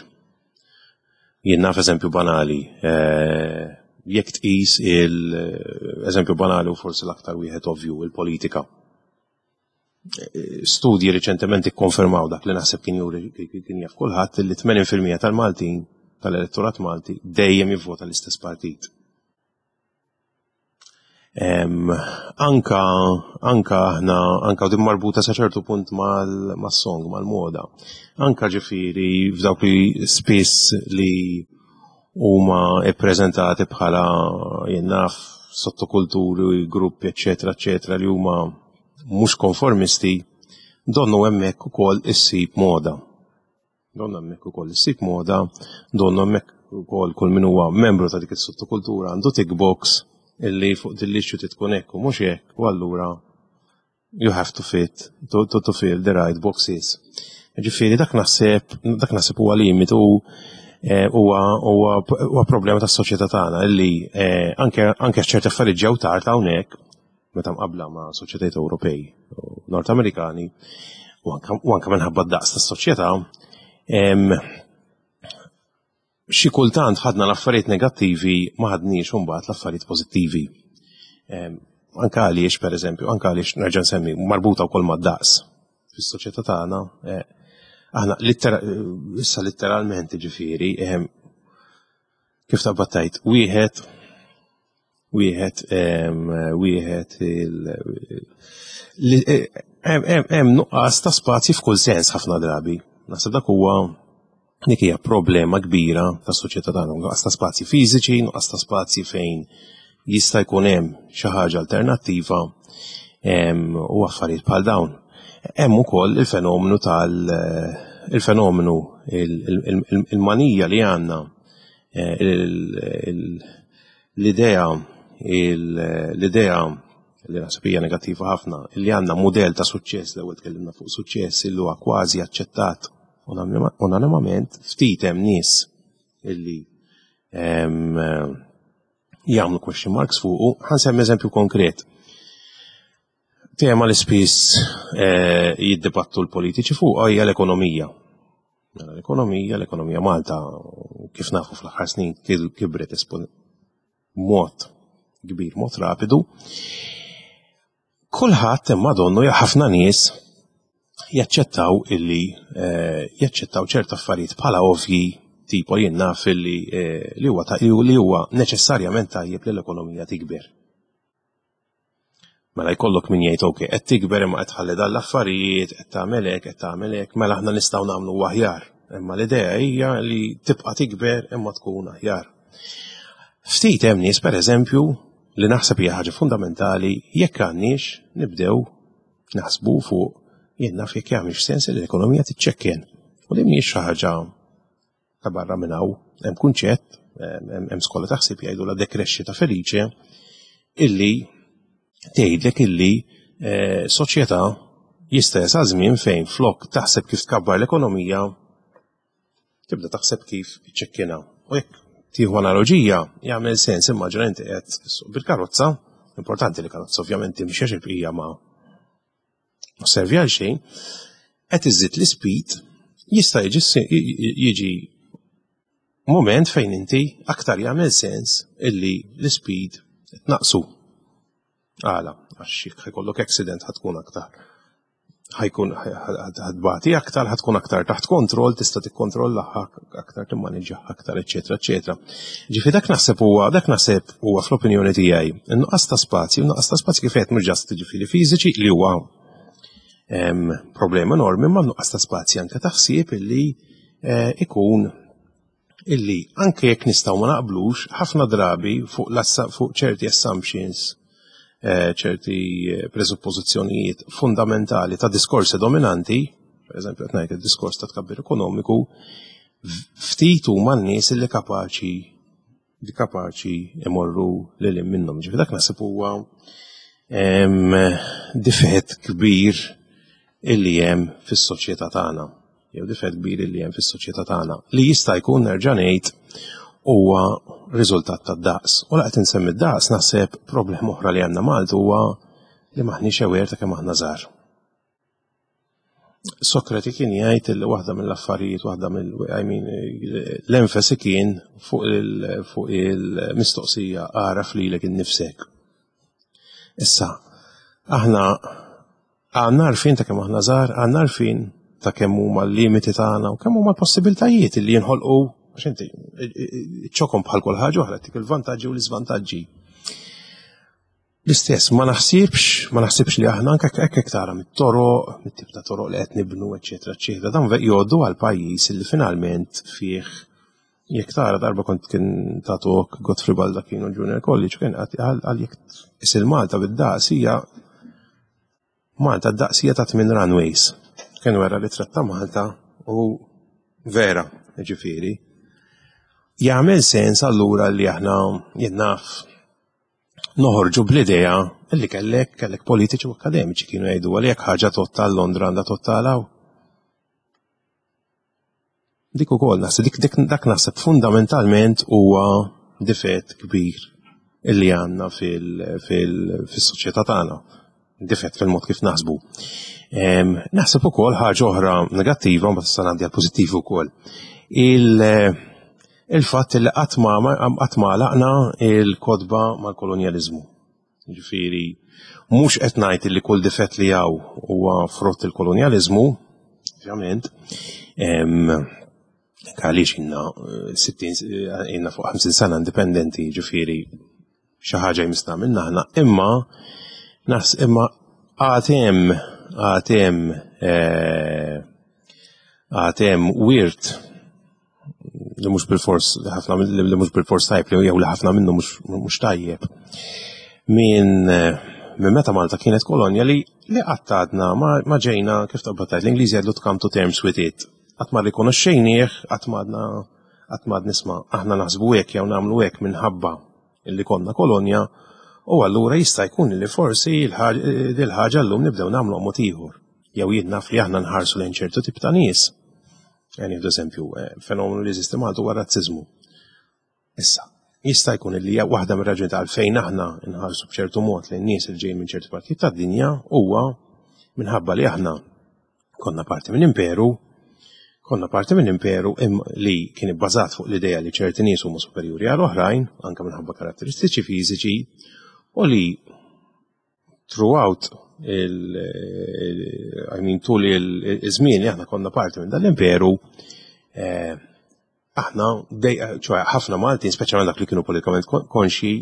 Jien naf eżempju banali, eh, jekk tqis il-eżempju banali u forsi l-aktar wieħed ovvju, il-politika. Studji riċentement ikkonfermaw dak li naħseb kien juri kien jaf kulħadd li 80% tal-Maltin tal-elettorat Malti dejjem jivvota l-istess partit. Anka anka aħna anka din marbuta sa ċertu punt mal-song, mal-moda. Anka ġifieri f'dawk li spiss li huma ippreżentati bħala jien naf sottokulturi, gruppi, eċetera, eċetera, li huma mhux konformisti, donnu hemmhekk ukoll issib moda. Donnu hemmhekk ukoll issib moda, donnu hemmhekk ukoll kull min huwa membru ta' dik is-sottokultura għandu tick box illi fuq din l-issue tkun hekk u mhux hekk u allura you have to fit to, to, to fill the right boxes. Ġifieri dak naħseb dak naħseb huwa limit u Eh, huwa problema tas-soċjetà tagħna illi eh, anke anke ċerti affarijiet ġew tard hawnhekk meta mqabbla ma' soċjetajiet Ewropej u Nord Amerikani u anke minħabba d-daqs tas-soċjetà xi kultant ħadna l-affarijiet negattivi ma ħadniex imbagħad l-affarijiet pożittivi. Anke għaliex pereżempju, anke għaliex nerġa' nsemmi marbuta wkoll mad-daqs fis-soċjetà tagħna, eh, aħna issa letteralment ġifieri, eh, kif taqbad tajt, wieħed wieħed wieħed eh, hemm nuqqas ta' spazji f'kull sens ħafna drabi. Naħseb dak huwa dik hija problema kbira tas-soċjetà tagħna, nuqqas ta' spazji fiżiċi, nuqqas ta' spazji fejn jista' jkun hemm xi ħaġa alternattiva u affarijiet bħal dawn. Hemm ukoll il-fenomenu tal il-fenomenu il-manija li għandna eh, l-idea l-idea li naħseb hija negattiva ħafna, li għandna mudell ta' suċċess, l-ewwel tkellimna fuq suċċess illi huwa kważi aċċettat unanimament, ftit hemm nies illi jagħmlu question marks fuqu, ħansemmi eżempju konkret. Tema li spiss eh, jiddibattu l-politiċi fuq hija l-ekonomija. Mela, l-ekonomija, l-ekonomija Malta, kif nafu fl-aħħar snin kibret mod kbir, mod rapidu. Kulħadd imma donnu ħafna nies jaċċettaw illi eh, jaċċettaw ċerta affarijiet bħala ovvji tipo jien naf illi eh, li huwa li huwa neċessarjament tajjeb li l-ekonomija tikber. Mela jkollok min jgħid ok, qed tikber imma qed tħalli dan l-affarijiet, qed tagħmel hekk, qed tagħmel hekk, mela aħna nistgħu nagħmlu aħjar. Imma l-idea hija li tibqa' tikber imma tkun aħjar. Ftit hemm nies pereżempju li naħseb hija ħaġa fundamentali jekk għandniex nibdew naħsbu fuq jien naf jekk jagħmilx sens li l-ekonomija tiċċekken. U li mhijiex xi ħaġa ta' barra minn hawn. Hemm kunċett, hemm skola ta' ħsieb jgħidu la dekrexxita felice illi tgħidlek illi eh, soċjetà jista' jasal żmien fejn flok taħseb kif tkabbar l-ekonomija tibda taħseb kif iċċekkina. U jekk tieħu analoġija, jagħmel sens immaġina inti qed bil-karozza, importanti li karozza ovvjament timxi għax il-bqija ma ma servi għal xejn, qed iżid l-ispeed jista' jiġi moment fejn inti aktar jagħmel sens illi l-ispeed tnaqsu. Għala, għax jekk ħajkollok accident ħatkun aktar ħajkun ħadbati aktar, ħatkun aktar taħt kontroll, tista' tikkontrolla aktar, timmaniġġa aktar, eċetera, eċetera. Ġifi dak naħseb huwa, dak naħseb huwa fl-opinjoni tiegħi, in-nuqqas ta' spazju, nuqqas ta' spazju kif qed mhux ġast ġifieri fiżiċi li huwa problema enormi, ma nuqqas ta' spazji anke ta' ħsieb illi eh, ikun illi anke jekk nistgħu ma naqblux ħafna drabi fuq fuq ċerti assumptions, eh, ċerti eh, presuppożizzjonijiet fundamentali ta' diskorsi dominanti, per eżempju qed ngħid id-diskors ta' tkabbir ekonomiku, ftit huma n-nies li kapaċi li kapaċi imorru lil minnhom. Ġifi dak naħseb huwa difett kbir illi hemm fis-soċjetà tagħna. Jew difett kbir illi hemm fis-soċjetà tagħna li jista' jkun nerġa' ngħid huwa riżultat tad-daqs. U laqgħet insemmi d-daqs naħseb problema oħra li għandna Malta huwa li maħniex aware ta' kemm aħna żgħar. Sokrati kien jgħid li waħda mill-affarijiet, waħda mill I mean, l-enfasi kien fuq il-mistoqsija għaraf lilek innifsek. Issa, aħna għandna għarfien ta' kemm aħna żgħar, għandna għarfien ta' kemm huma l-limiti tagħna u kemm huma l-possibiltajiet li jinħolqu għax inti ċokom bħal kull ħaġa oħra tik il-vantaġġi u l-iżvantaġġi. L-istess, ma naħsibx, ma naħsibx li aħna anke hekk hekk tara mit-toroq, mit-tip ta' toroq li qed nibnu, eċetera, eċetera. Dan jgħoddu għal pajjiż li finalment fih jekk tara darba kont kien tatok Godfrey Baldacchino Junior College kien għal jekk isil Malta bid-daqs hija Malta d-daqs hija ta' tmien runways. Kien wera li tratta Malta u vera, ġifieri. Jagħmel sens allura li aħna jien naf noħorġu bl-idea li kellek kellek politiċi u akademiċi kienu jgħidu għal jekk ħaġa totta Londra għandha totta għalaw. Dik ukoll naħseb dik, dik dak naħseb fundamentalment huwa difett kbir illi għandna fil-soċjetà tagħna. Difett fil-mod kif naħsbu. Naħseb ukoll ħaġa oħra negattiva, ma tista' ngħaddi għal pożittiv ukoll. Il-fatt li qatt ma għalaqna il-kotba mal-kolonjaliżmu. Ġifieri, mhux qed ngħid li kull difett li hawn huwa frott il-kolonjaliżmu, ovvjament, għaliex inna 60 eh, inna fuq 50 sena indipendenti, ġifieri xi ħaġa jmisna minna aħna, imma nas imma għatem għatem eh, għatem wirt li mhux bil-fors li ħafna li mhux bil-fors tajb li jew li ħafna minnu mhux tajjeb. Minn minn meta Malta kienet kolonja li li qatt għadna ma ġejna kif taqbad tgħid l-Ingliżi jgħidu to come to terms with it. Qatt ma rrikonoxxejnieh, qatt ma għadna qatt ma nisma' aħna naħsbu hekk jew nagħmlu hekk minħabba li konna kolonja u allura jista' jkun li forsi dil-ħaġa llum nibdew nagħmlu mod ieħor. Jew jien naf li aħna nħarsu lejn ċertu tip ta' nies. Nieħdu eżempju, eh, fenomenu li jeżisti Malta huwa razziżmu. Issa, jista' jkun li waħda mir-raġuni ta' għalfejn aħna nħarsu b'ċertu mod lejn nies li ġejjin minn ċertu partijiet tad-dinja huwa minħabba li aħna konna parti minn imperu, konna parti minn imperu li kien ibbażat fuq l-idea li ċerti nies huma superjuri għal oħrajn, anke minħabba karatteristiċi fiżiċi, u li throughout il, I mean, tul il-żmien li aħna konna parti minn dal-imperu, eh, aħna, ċoħe ħafna Maltin, speċjalment dak li kienu politikament konxi,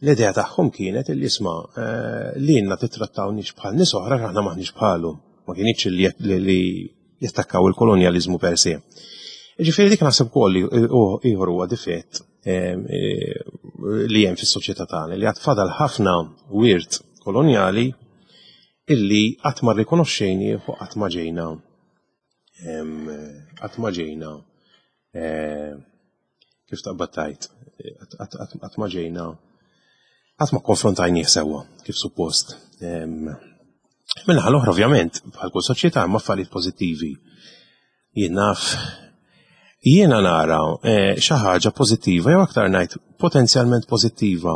l-idea tagħhom kienet li isma' eh, li jenna titrattawniex bħal nies oħra aħna maħniex bħalhom. Ma kienx li jattakkaw il-kolonjaliżmu per se. Ġifieri dik naħseb ukoll ieħor huwa difett eh, li hemm fis-soċjetà tagħna li għad fadal ħafna wirt kolonjali illi qatt ma rrikonoxxejni u qatt ma ġejna qatt ma ġejna eh, kif taqbad tajt, qatt ma ġejna qatt ma konfrontajnieh sewwa kif suppost. Minnaħa l-oħra ovvjament, bħal kull soċjetà hemm affarijiet pożittivi. Jien naf jiena nara eh, xi ħaġa pożittiva jew aktar ngħid potenzjalment pożittiva.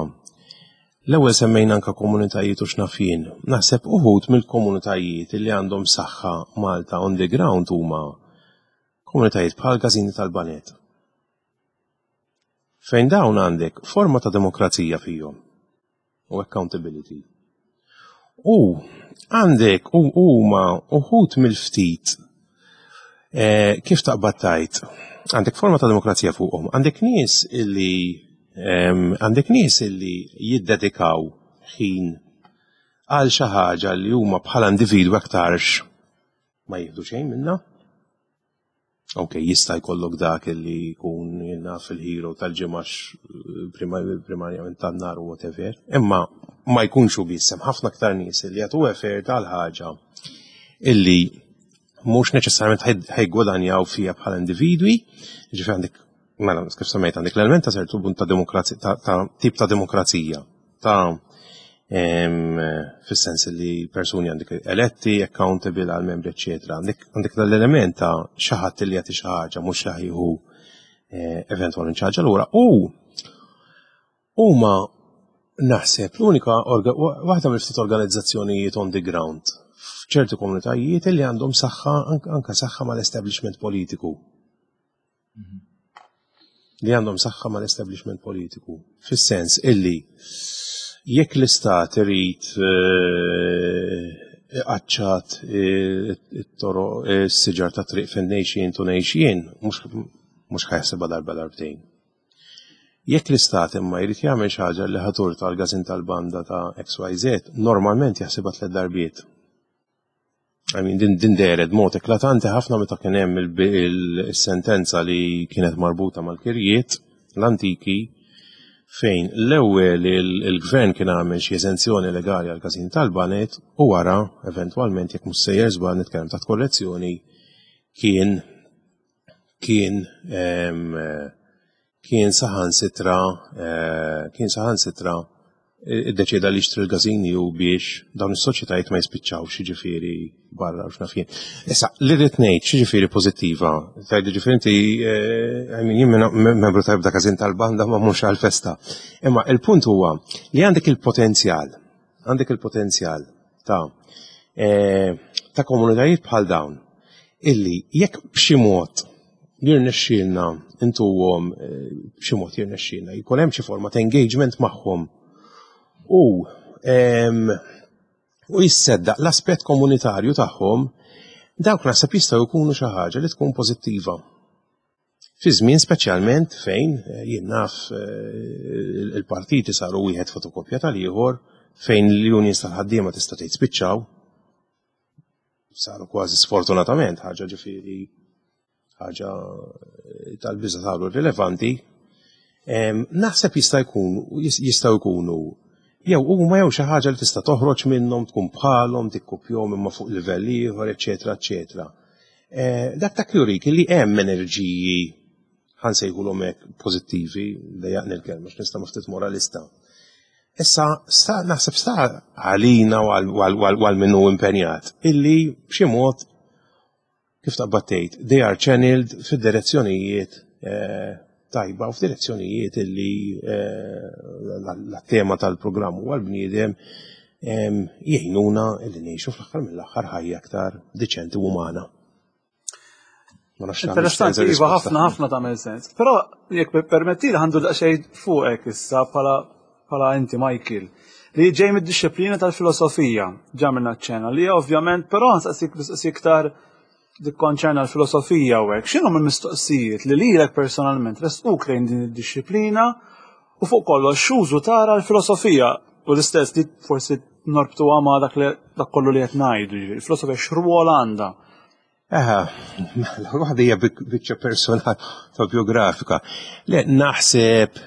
L-ewwel semmejna anke komunitajiet u x'naf jien. Naħseb uħud mill-komunitajiet li għandhom saħħa Malta on the ground huma komunitajiet bħal każini tal-Banet. Fejn dawn għandek forma ta' demokrazija fihom u accountability. U għandek u huma uħud mill-ftit eh, kif taqbad tajt, għandek forma ta' demokrazija fuqhom, għandek nies illi għandek nies illi jiddedikaw ħin għal xi ħaġa li huma bħala individwi aktarx ma jieħdu xejn minna. Ok, jista' jkollok dak li jkun jenna fil-hero tal-ġimgħax eh, primarjament tan-nar u whatever, imma ma jkunx u biss hemm ħafna aktar nies li jagħtu effort għal ħaġa illi mhux neċessarjament ħajgwadanjaw fija bħala individwi, ġifieri għandek mela kif semmejt għandek l-element ta' ċertu punt ta' demokrazija ta' tip ta' demokrazija ta' fis-sens li persuni għandek eletti, accountable għal membri, eccetera. Għandek l-element ta' xi ħadd li jagħti xi ħaġa mhux li ħajħu eh, eventwalment xi ħaġa lura. U huma naħseb l-unika waħda mill-ftit organizzazzjonijiet on the ground f'ċerti komunitajiet li għandhom saħħa anka saħħa mal-establishment politiku. Li għandhom saħħa mal-establishment politiku. Fis-sens illi jekk l-istat irid eh, iqaċċat eh, it-toroq eh, s-siġar ta' triq fejn ngħix tu ngħix jien, mhux ħajaħsibha darba darbtejn. Jekk l-istat imma jrid jagħmel xi ħaġa li ħatur tal-gazin tal-banda ta' XYZ, normalment jaħsibha tliet darbiet. I mean, din, din dehret mod eklatanti ħafna meta kien hemm il-sentenza li kienet marbuta mal-kirjiet l-antiki fejn l-ewwel il-gvern kien għamel xi eżenzjoni legali għal każin tal-banet u wara eventwalment jekk mhux sejjer żball nitkellem taħt korrezzjoni kien kien kien saħansitra eh, kien saħansitra Iddeċieda li jixtri l-gażini u biex dawn is-soċjetajiet ma jispiċċawx jiġifieri barra u x'naf jien. Issa, li rrid ngħid x'jiġifieri pożittiva, tgħid jiġifieri inti eh, I mean, jien membru ta' ebda każin tal-banda ma mhux għall-festa. Imma il-punt huwa li għandek il-potenzjal, għandek il-potenzjal ta' eh, ta' komunitajiet bħal dawn illi jekk b'xi mod jirnexxielna intuhom eh, b'xi mod jirnexxielna jkun hemm xi forma ta' engagement magħhom u u jisseddaq l-aspett komunitarju tagħhom dawk naħseb jistgħu jkunu xi ħaġa li tkun pożittiva. Fi żmien speċjalment fejn eh, jien naf eh, il-partiti saru wieħed fotokopja tal-ieħor fejn l-unions tal-ħaddiema tista' tgħid spiċċaw saru kważi sfortunatament ħaġa ġifieri ħaġa eh, tal-biża saru rilevanti. Naħseb jista' jkun jistgħu jkunu jew huma jew xi ħaġa li tista' toħroġ minnhom tkun bħalhom tikkupjhom imma fuq livell ieħor, eċetera, eċetera. Eh, dak dak jurik li hemm enerġiji ħansejħulhom hekk pożittivi, dejjaqni l-kelma x'nista' ma ftit moralista. Issa, sta, naħseb sta għalina u għal minnu impenjat illi b'xi mod kif taqbad tgħid, they are channeled fid-direzzjonijiet eh, tajba u f'direzzjonijiet illi eh, la tema tal-programm u għal-bniedem jgħinuna illi ngħixu fl-aħħar mill-aħħar ħajja aktar diċenti u umana. Interessanti, iva, ħafna ħafna tagħmel sens. Però jekk permetti li għandu daqsxejn fuqek issa bħala bħala inti Michael li ġej mid-disciplina tal-filosofija ġamilna ċena li ovvjament però nsaqsik mistoqsija iktar dik konċerna l-filosofija u hekk. X'inhom il-mistoqsijiet li lilek personalment resquk lejn din id-disciplina u fuq kollox x'użu tara l-filosofija u l-istess li forsi norbtuha ma' dak li dak kollu li qed ngħidu, il-filosofija x'rwol għandha. Eħe, mela, waħda hija biċċa personali ta' biografika. Le, naħseb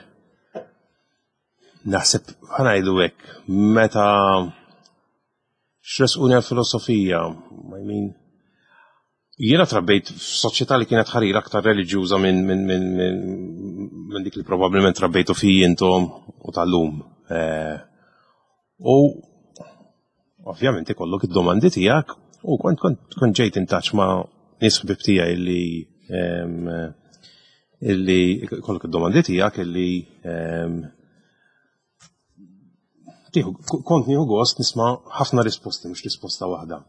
naħseb ħanajdu hekk, meta x'resquni għal-filosofija, I mean, jiena trabbejt f'soċjetà li kienet ħarira aktar reliġjuża minn min, min, min, min dik li probabbilment trabbejtu fi intom u tal-lum. Eh, u ovvjament ikollok id-domandi tiegħek u kont kont kont ġejt in touch ma' nies ħbib tiegħi illi illi kollok id-domandi tiegħek illi kont nieħu gost nisma' ħafna risposti mhux risposta waħda.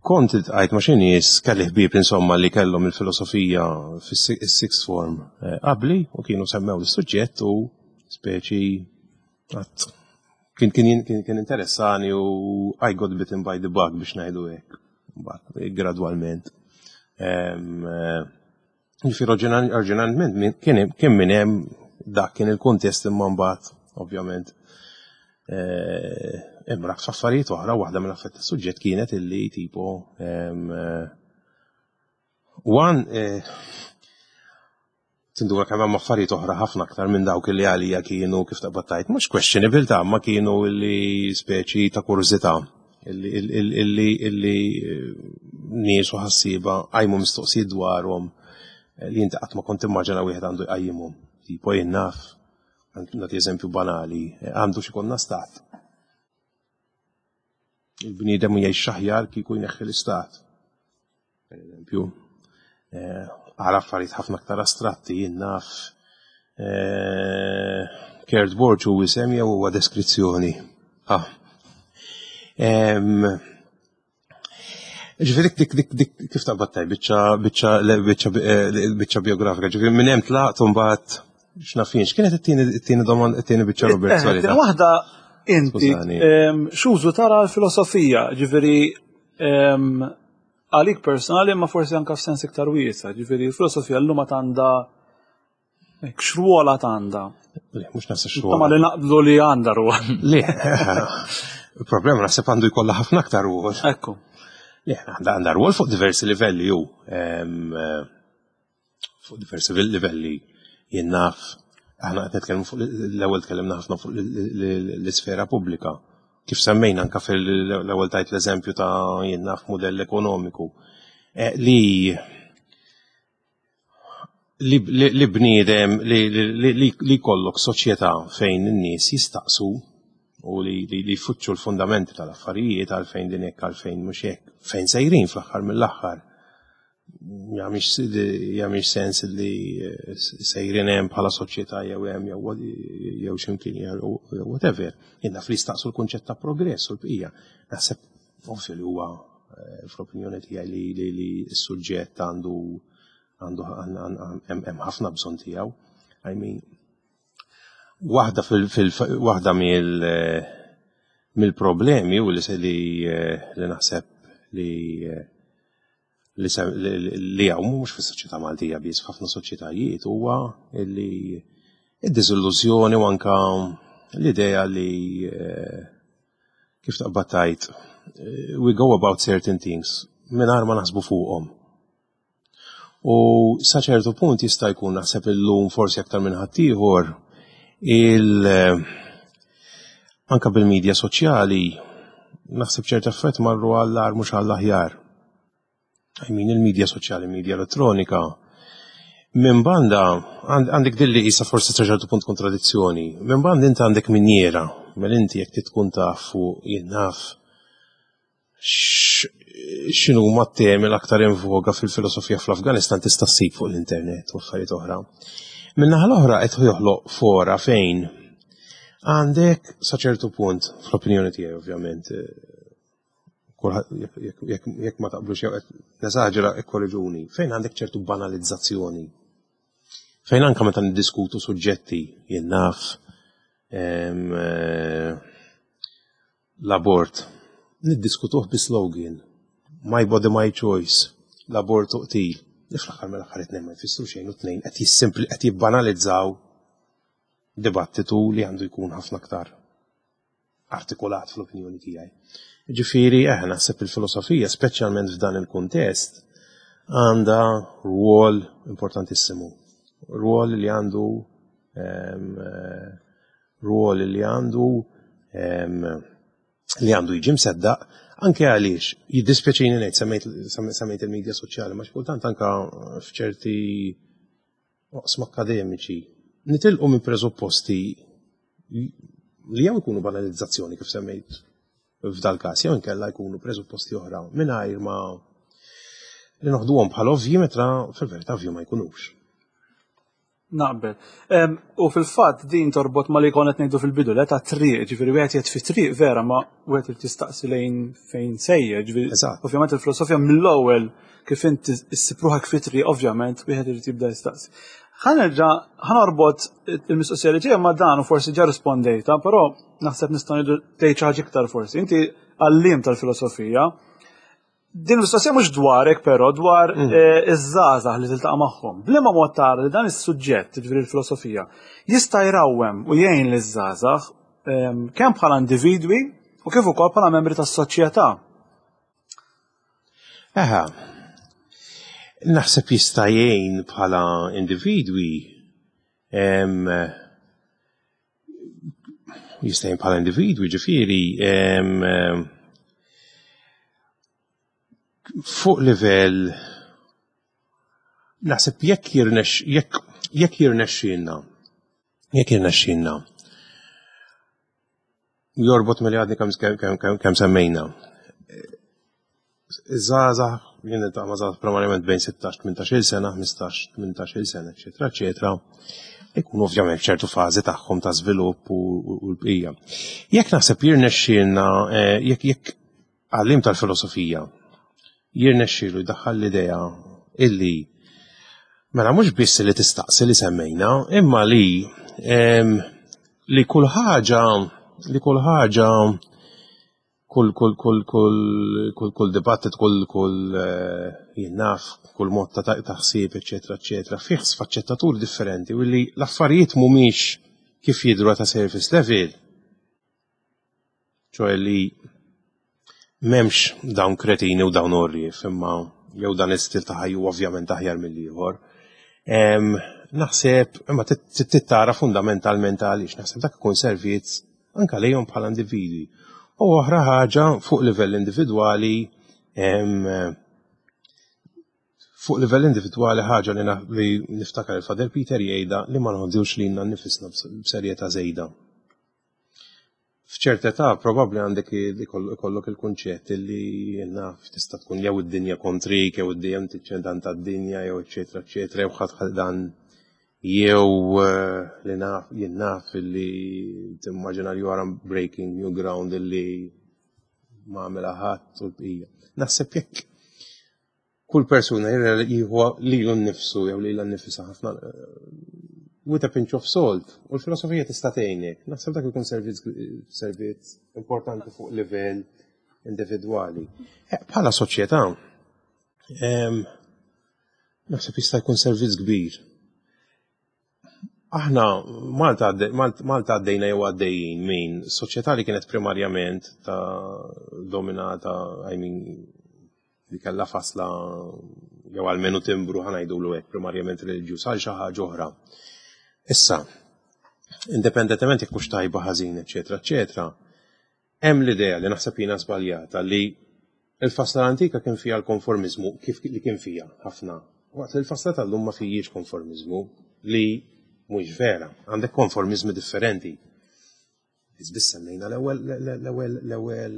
Kont iltqajt ma' xi nies kelli ħbieb insomma li kellhom il-filosofija fis-sixth form eh, qabli u kienu semmew l-suġġett u speċi kien kien kien kien interessani u I got bitten by the bug biex ngħidu hekk. Mbagħad gradwalment. Eh, ġifieri oriġinalment kien minn hemm dak kien il-kuntest imma mbagħad ovvjament eh, imraq f'affarijiet oħra waħda mill-affett tas-suġġett kienet illi tipo eh, one tinduna kemm hemm affarijiet oħra ħafna aktar minn dawk li għalija kienu kif taqbad tgħid mhux questionable ta' ma kienu illi speċi ta' kurżità illi illi eh, nies u ħassieba qajmu mistoqsijiet dwarhom eh, li inti qatt ma kont immaġina wieħed għandu jqajjimhom. Tipo jien naf, nagħti eżempju banali, eh, għandu xi konna stat. Il-bniedem jgħix aħjar kieku jneħħi l-istat. Per eżempju, eh, għal affarijiet ħafna aktar astratti jien naf eh, Kurt Borg hu isem jew huwa deskrizzjoni. Ah. Ġifieri dik dik dik kif taqbad taj biċċa biċċa biċċa eh, biċċa biografika, ġifieri minn hemm tlaqt u mbagħad x'naf jien, x'kienet it-tieni it-tieni domanda it-tieni biċċa Robert, sorry. Waħda inti x'użu tara l-filosofija, ġifieri għalik personali ma forsi anka f'sens iktar wiesa, ġifieri l-filosofija llum għandha x'rwol għad għandha. Le, mhux naħseb x'rwol. Ma li naqblu li għandha rwol. Le, il-problema naħseb għandu jkollha ħafna aktar rwol. Ekku. Le, għandha rwol fuq diversi livelli ju. Fuq diversi livelli jien naf aħna qed nitkellmu fuq l-ewwel tkellimna ħafna fuq l-isfera pubblika. Kif semmejna anka fil-ewwel tajt l-eżempju ta' jien naf mudell ekonomiku eh, li li bniedem li jkollok soċjetà fejn in-nies jistaqsu. u li, li, li jfuttxu l-fundamenti tal-affarijiet għalfejn din hekk għalfejn mhux hekk, fejn sejrin fl-aħħar mill-aħħar. Jagħmilx sens li eh, sejrin hemm bħala soċjetà jew hemm jew jew x'imkien jew whatever. Jien naf li jistaqsu l-kunċett ta' progress u l-bqija. Naħseb ovvju li huwa eh, fl-opinjoni tiegħi li li, li s-suġġett għandu għandu hemm ħafna bżonn tiegħu. I mean, Waħda fil waħda mill mill-problemi u li li naħseb li li li hawn mhux fis-soċjetà Maltija biss f'ħafna soċjetajiet huwa li id-diżillużjoni u anka l-idea li eh, kif taqbad tgħid eh, we go about certain things mingħajr ma naħsbu fuqhom. U sa ċertu punt jista' jkun naħseb illum forsi aktar minn ħaddieħor il anka bil-medja soċjali naħseb ċert effett marru għall-ar mhux għall-aħjar. I mean il-medja soċjali, media elettronika, minn banda għandek dilli jisa forsi sa ċertu punt kontradizzjoni. Minn banda inti għandek minjera, mela inti jekk tkun taf fuq jien naf x'inhu ma temi l-aktar in voga fil-filosofija fl-Afganistan tista' ssib fuq l-internet u affarijiet oħra. Min-naħa l-oħra qed joħloq fora fejn għandek sa ċertu punt, fl-opinjoni tiegħi ovvjament, jekk ma taqblux jew qed nesaġera ikkorriġuni, fejn għandek ċertu banalizzazzjoni. Fejn anka meta niddiskutu suġġetti jien naf eh, L-abort. Niddiskutuh bi slogan. My body my choice. L-abort u qtil. Li fl-aħħar mill-aħħar it-tnejn ma jfissru xejn u t-tnejn qed jissimpli qed jibbanalizzaw dibattitu li għandu jkun ħafna aktar artikolat fl-opinjoni tiegħi. Ġifieri eh naħseb il-filosofija speċjalment f'dan il-kuntest għandha rwol importantissimu. Rwol li għandu ehm, eh, rwol li għandu li għandu jiġi mseddaq anke għaliex jiddispjaċini ngħid semmejt il-medja soċjali ma xi kultant anke f'ċerti oqsma akademiċi nitilqu minn presupposti li jew ikunu banalizzazzjoni kif semmejt f'dal każ jew inkella jkunu presupposti oħra mingħajr ma li noħduhom bħal ovvji meta fil-verità ovvju ma jkunux. Naqbel. U fil-fatt din torbot ma li konna qed ngħidu fil-bidu le ta' triq, ġifieri wieħed jgħid fi triq vera ma wieħed irid jistaqsi lejn fejn sejjer, ġifieri ovvjament il-filosofija mill-ewwel kif inti issib ruħek fi triq ovvjament wieħed irid jibda jistaqsi. Ħa nerġa' ħa norbot il-mistoqsija li ġejja ma' dan u forsi ġa rispondejta, però naħseb nista' ngħidu tgħid xi ħaġa iktar forsi. Inti għalliem tal-filosofija, Din l-istoqsija mhux dwarek però dwar mm. eh, iż-żgħażagħ li tiltaqa' magħhom. B'liema mod tara li dan is-suġġett, ġifieri l-filosofija, jista' jrawwem u jgħin liż-żgħażagħ ehm, kemm bħala individwi u kif ukoll bħala membri tas-soċjetà. Eħa, naħseb jista' jgħin bħala individwi ehm, jista' jgħin bħala individwi ġifieri fuq livell naħseb jekk jirnex jekk jekk jirnexxielna jekk jirnexxielna jorbot milli għadni kemm semmejna. Iż-żgħażagħ, jien niltaqa' ma' żgħażagħ primarjament bejn 16-18 sena, 15-18 sena, eċetera, eċetera, ikunu ovvjament ċertu fażi tagħhom ta' żvilupp u l-bqija. Jekk naħseb jirnexxielna, eh, jekk jekk għallim tal-filosofija jirnexxielu jdaħħal l-idea illi mela mhux biss li tistaqsi li semmejna, imma li ehm, li kull ħaġa li kull ħaġa kull kull kull kull kull kull dibattit kull kull eh, jien naf kull mod ta' taħsib eċetera eċetera fih sfaċċettaturi differenti u li l-affarijiet mhumiex kif jidhru ta' surface level ċoħe li memx dawn kretini u dawn orrif, imma jew dan istil ta' ħajju ovvjament aħjar mill-ieħor. Naħseb, imma tittara fundamentalment għaliex, naħseb dak ikun servizz anka lejhom bħala individwi. U oħra ħaġa fuq livell individwali fuq livell individwali ħaġa li niftakar il-Father Peter jgħidha li ma nħoddux lilna nifisna b'serjetà żejda. F'ċerta età probabbli għandek ikollok il-kunċett li naf tista' tkun jew id-dinja kontrik, jew id-dinja dan tad-dinja, jew eċetera, eċetera, jew ħadd dan jew eh, li naf jien naf li timmaġina li wara breaking new ground li ma għamilha ħadd u l-bqija. Naħseb jekk kull persuna jieħu lilu nnifsu jew lilha nnifisha ħafna eh, with a pinch of salt u l-filosofija tista' tgħinek. Naħseb dak ikun servizz importanti fuq livell individwali. Eh, bħala soċjetà, naħseb jista' jkun servizz kbir. Aħna Malta Malta għaddejna jew għaddejjin minn soċjetà li kienet primarjament ta' dominata, I mean, li kellha fasla jew almenu timbru ħa ngħidulu hekk primarjament reliġjuż għal xi ħaġa oħra. Issa, indipendentement jekk hux tajba ħażin, eċetera, eċetera, hemm l-idea li naħseb jiena żbaljata li l-fasla l-antika kien fiha l-konformiżmu kif li kien fiha ħafna. Waqt li l-fasla tal-lum ma fijiex konformiżmu li mhux vera. Għandek konformiżmi differenti. Biss semmejna l-ewwel l-ewwel l-ewwel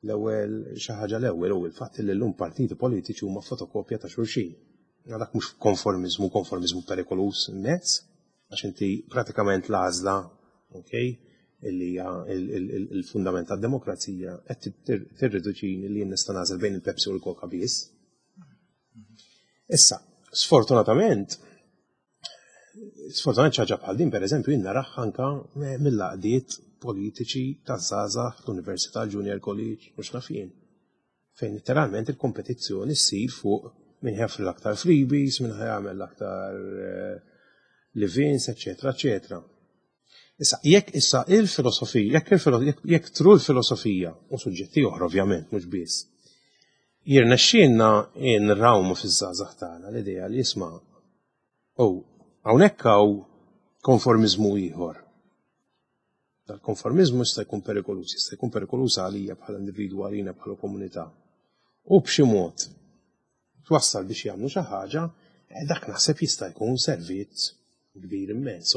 l-ewwel xi ħaġa l-ewwel u l-fatt li llum partiti politiċi huma fotokopja ta' xulxin. Dak mhux konformiżmu, konformiżmu perikoluż immens, għax inti pratikament l-għażla, okay, illi hija il-fundament tad-demokrazija qed tirriduċini li jien nista' nagħżel bejn il-Pepsi u l-Coca biss. Issa, sfortunatament, sfortunatament ħaġa bħal din pereżempju jien naraha anka mill-għaqdiet politiċi taż-żgħażagħ fl-Università Junior College mhux naf jien. Fejn letteralment il-kompetizzjoni ssir fuq min ħa joffri l-aktar freebies, min ħa jagħmel l-aktar eh, live-ins, eċetera, eċetera. Issa, jekk issa il-filosofija, jekk jekk tru l-filosofija, u suġġetti oħra ovvjament, mhux biss, jirnexxielna nrawmu fiż-żgħażagħ tagħna l-idea li jisma' u hawnhekk hawn konformiżmu ieħor. Dal-konformiżmu jista' jkun perikoluż, jista' jkun perikoluż għalija bħala individwu għalina bħala komunità. U b'xi mod twassal biex jagħmlu xi ħaġa, eh, dak naħseb jista' jkun servizz kbir immens.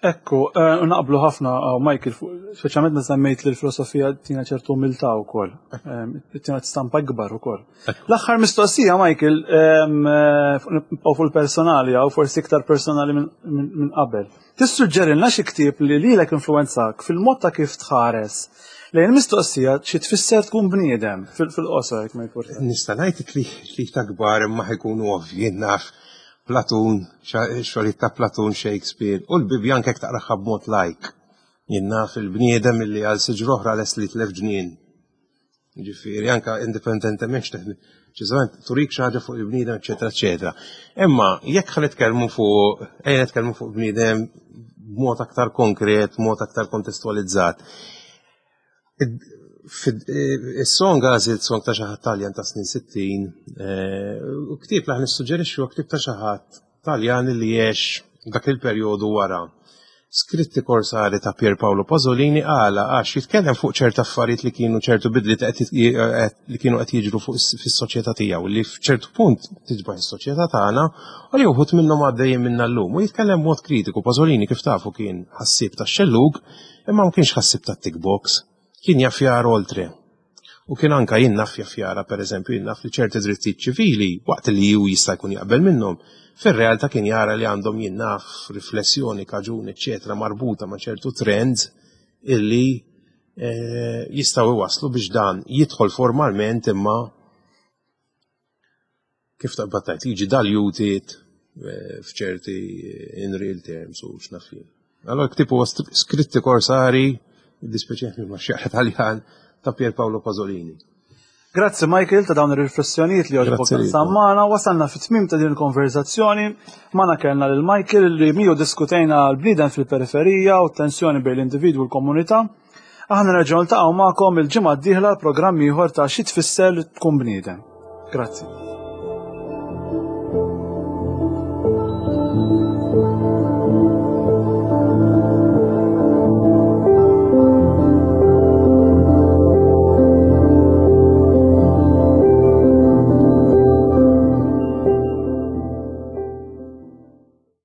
Ekku, eh, naqblu ħafna oh, Michael, speċjalment meta semmejt li l-filosofija tina ċertu umiltà wkoll, eh, tina stampa ikbar ukoll. L-aħħar mistoqsija, Michael, nibqgħu fuq il-personali jew forsi iktar personali minn qabel. Tissuġġerilna xi ktieb li lilek influwenzak fil-mod ta' kif tħares lejn il-mistoqsija xi tfisser tkun bniedem fil-qosor jekk ma jkun. Nista' ngħid li ta' kbar imma ħajkunu ovvji naf Platun, xogħlijiet ta' Platun, Shakespeare u l-Bibbja anke jekk taqraha b'mod lajk. Jien naf il-bniedem illi għal siġra oħra lest li jitlef ġnien. Ġifieri anke indipendentement ċiżament turik xi ħaġa fuq il-bniedem, eċetera, eċetera. Imma jekk ħa nitkellmu fuq ejja nitkellmu fuq bniedem b'mod aktar konkret, b'mod aktar kontestualizzat. Is-song għażilt song ta' xi ħadd Taljan ta' snin 60, eh, u ktieb li nissuġġerixxu huwa ktieb ta' xi ħadd Taljan li għex dak il-perjodu wara. Skritti Korsari ta' Pier Paolo Pasolini għala għax jitkellem fuq ċerta affarijiet li kienu ċertu bidliet li kienu qed jiġru fuq fis-soċjetà tiegħu li f'ċertu punt tiġbaħ is-soċjetà tagħna u li wħud minnhom għaddejjin minna llum u jitkellem b'mod kritiku. Pasolini kif tafu kien ħassieb tax-xellug imma ma kienx ħassieb tat-tick box, kien jaf jara oltre. U kien anka jien naf jaf jara, per eżempju, jien naf li ċerti drittijiet ċivili, waqt li ju jista' jkun jaqbel minnhom, fir-realtà kien jara li għandhom jien naf riflessjoni, kaġun, eċċetera, marbuta ma' ċertu trends illi eh, jistgħu iwasslu biex dan jidħol formalment imma kif taqbad tgħid jiġi diluted eh, f'ċerti eh, in real terms u x'naf jien. Allora ktieb huwa skritti korsari, dispeċjali ma xieħ Taljan ta' Pier Paolo Pasolini. Grazzi Michael ta' dawn ir-riflessjonijiet li għoġbok sammana, wasalna fit-tmim ta' din il-konverzazzjoni. Magħna kellna lil Michael li miegħu diskutejna l-bniedem fil-periferija u t-tensjoni bejn l-individwu u l-komunità. Aħna nerġgħu niltaqgħu magħkom il-ġimgħa d-dieħla programm ieħor ta' xi tfisser li tkun bniedem. Grazzi.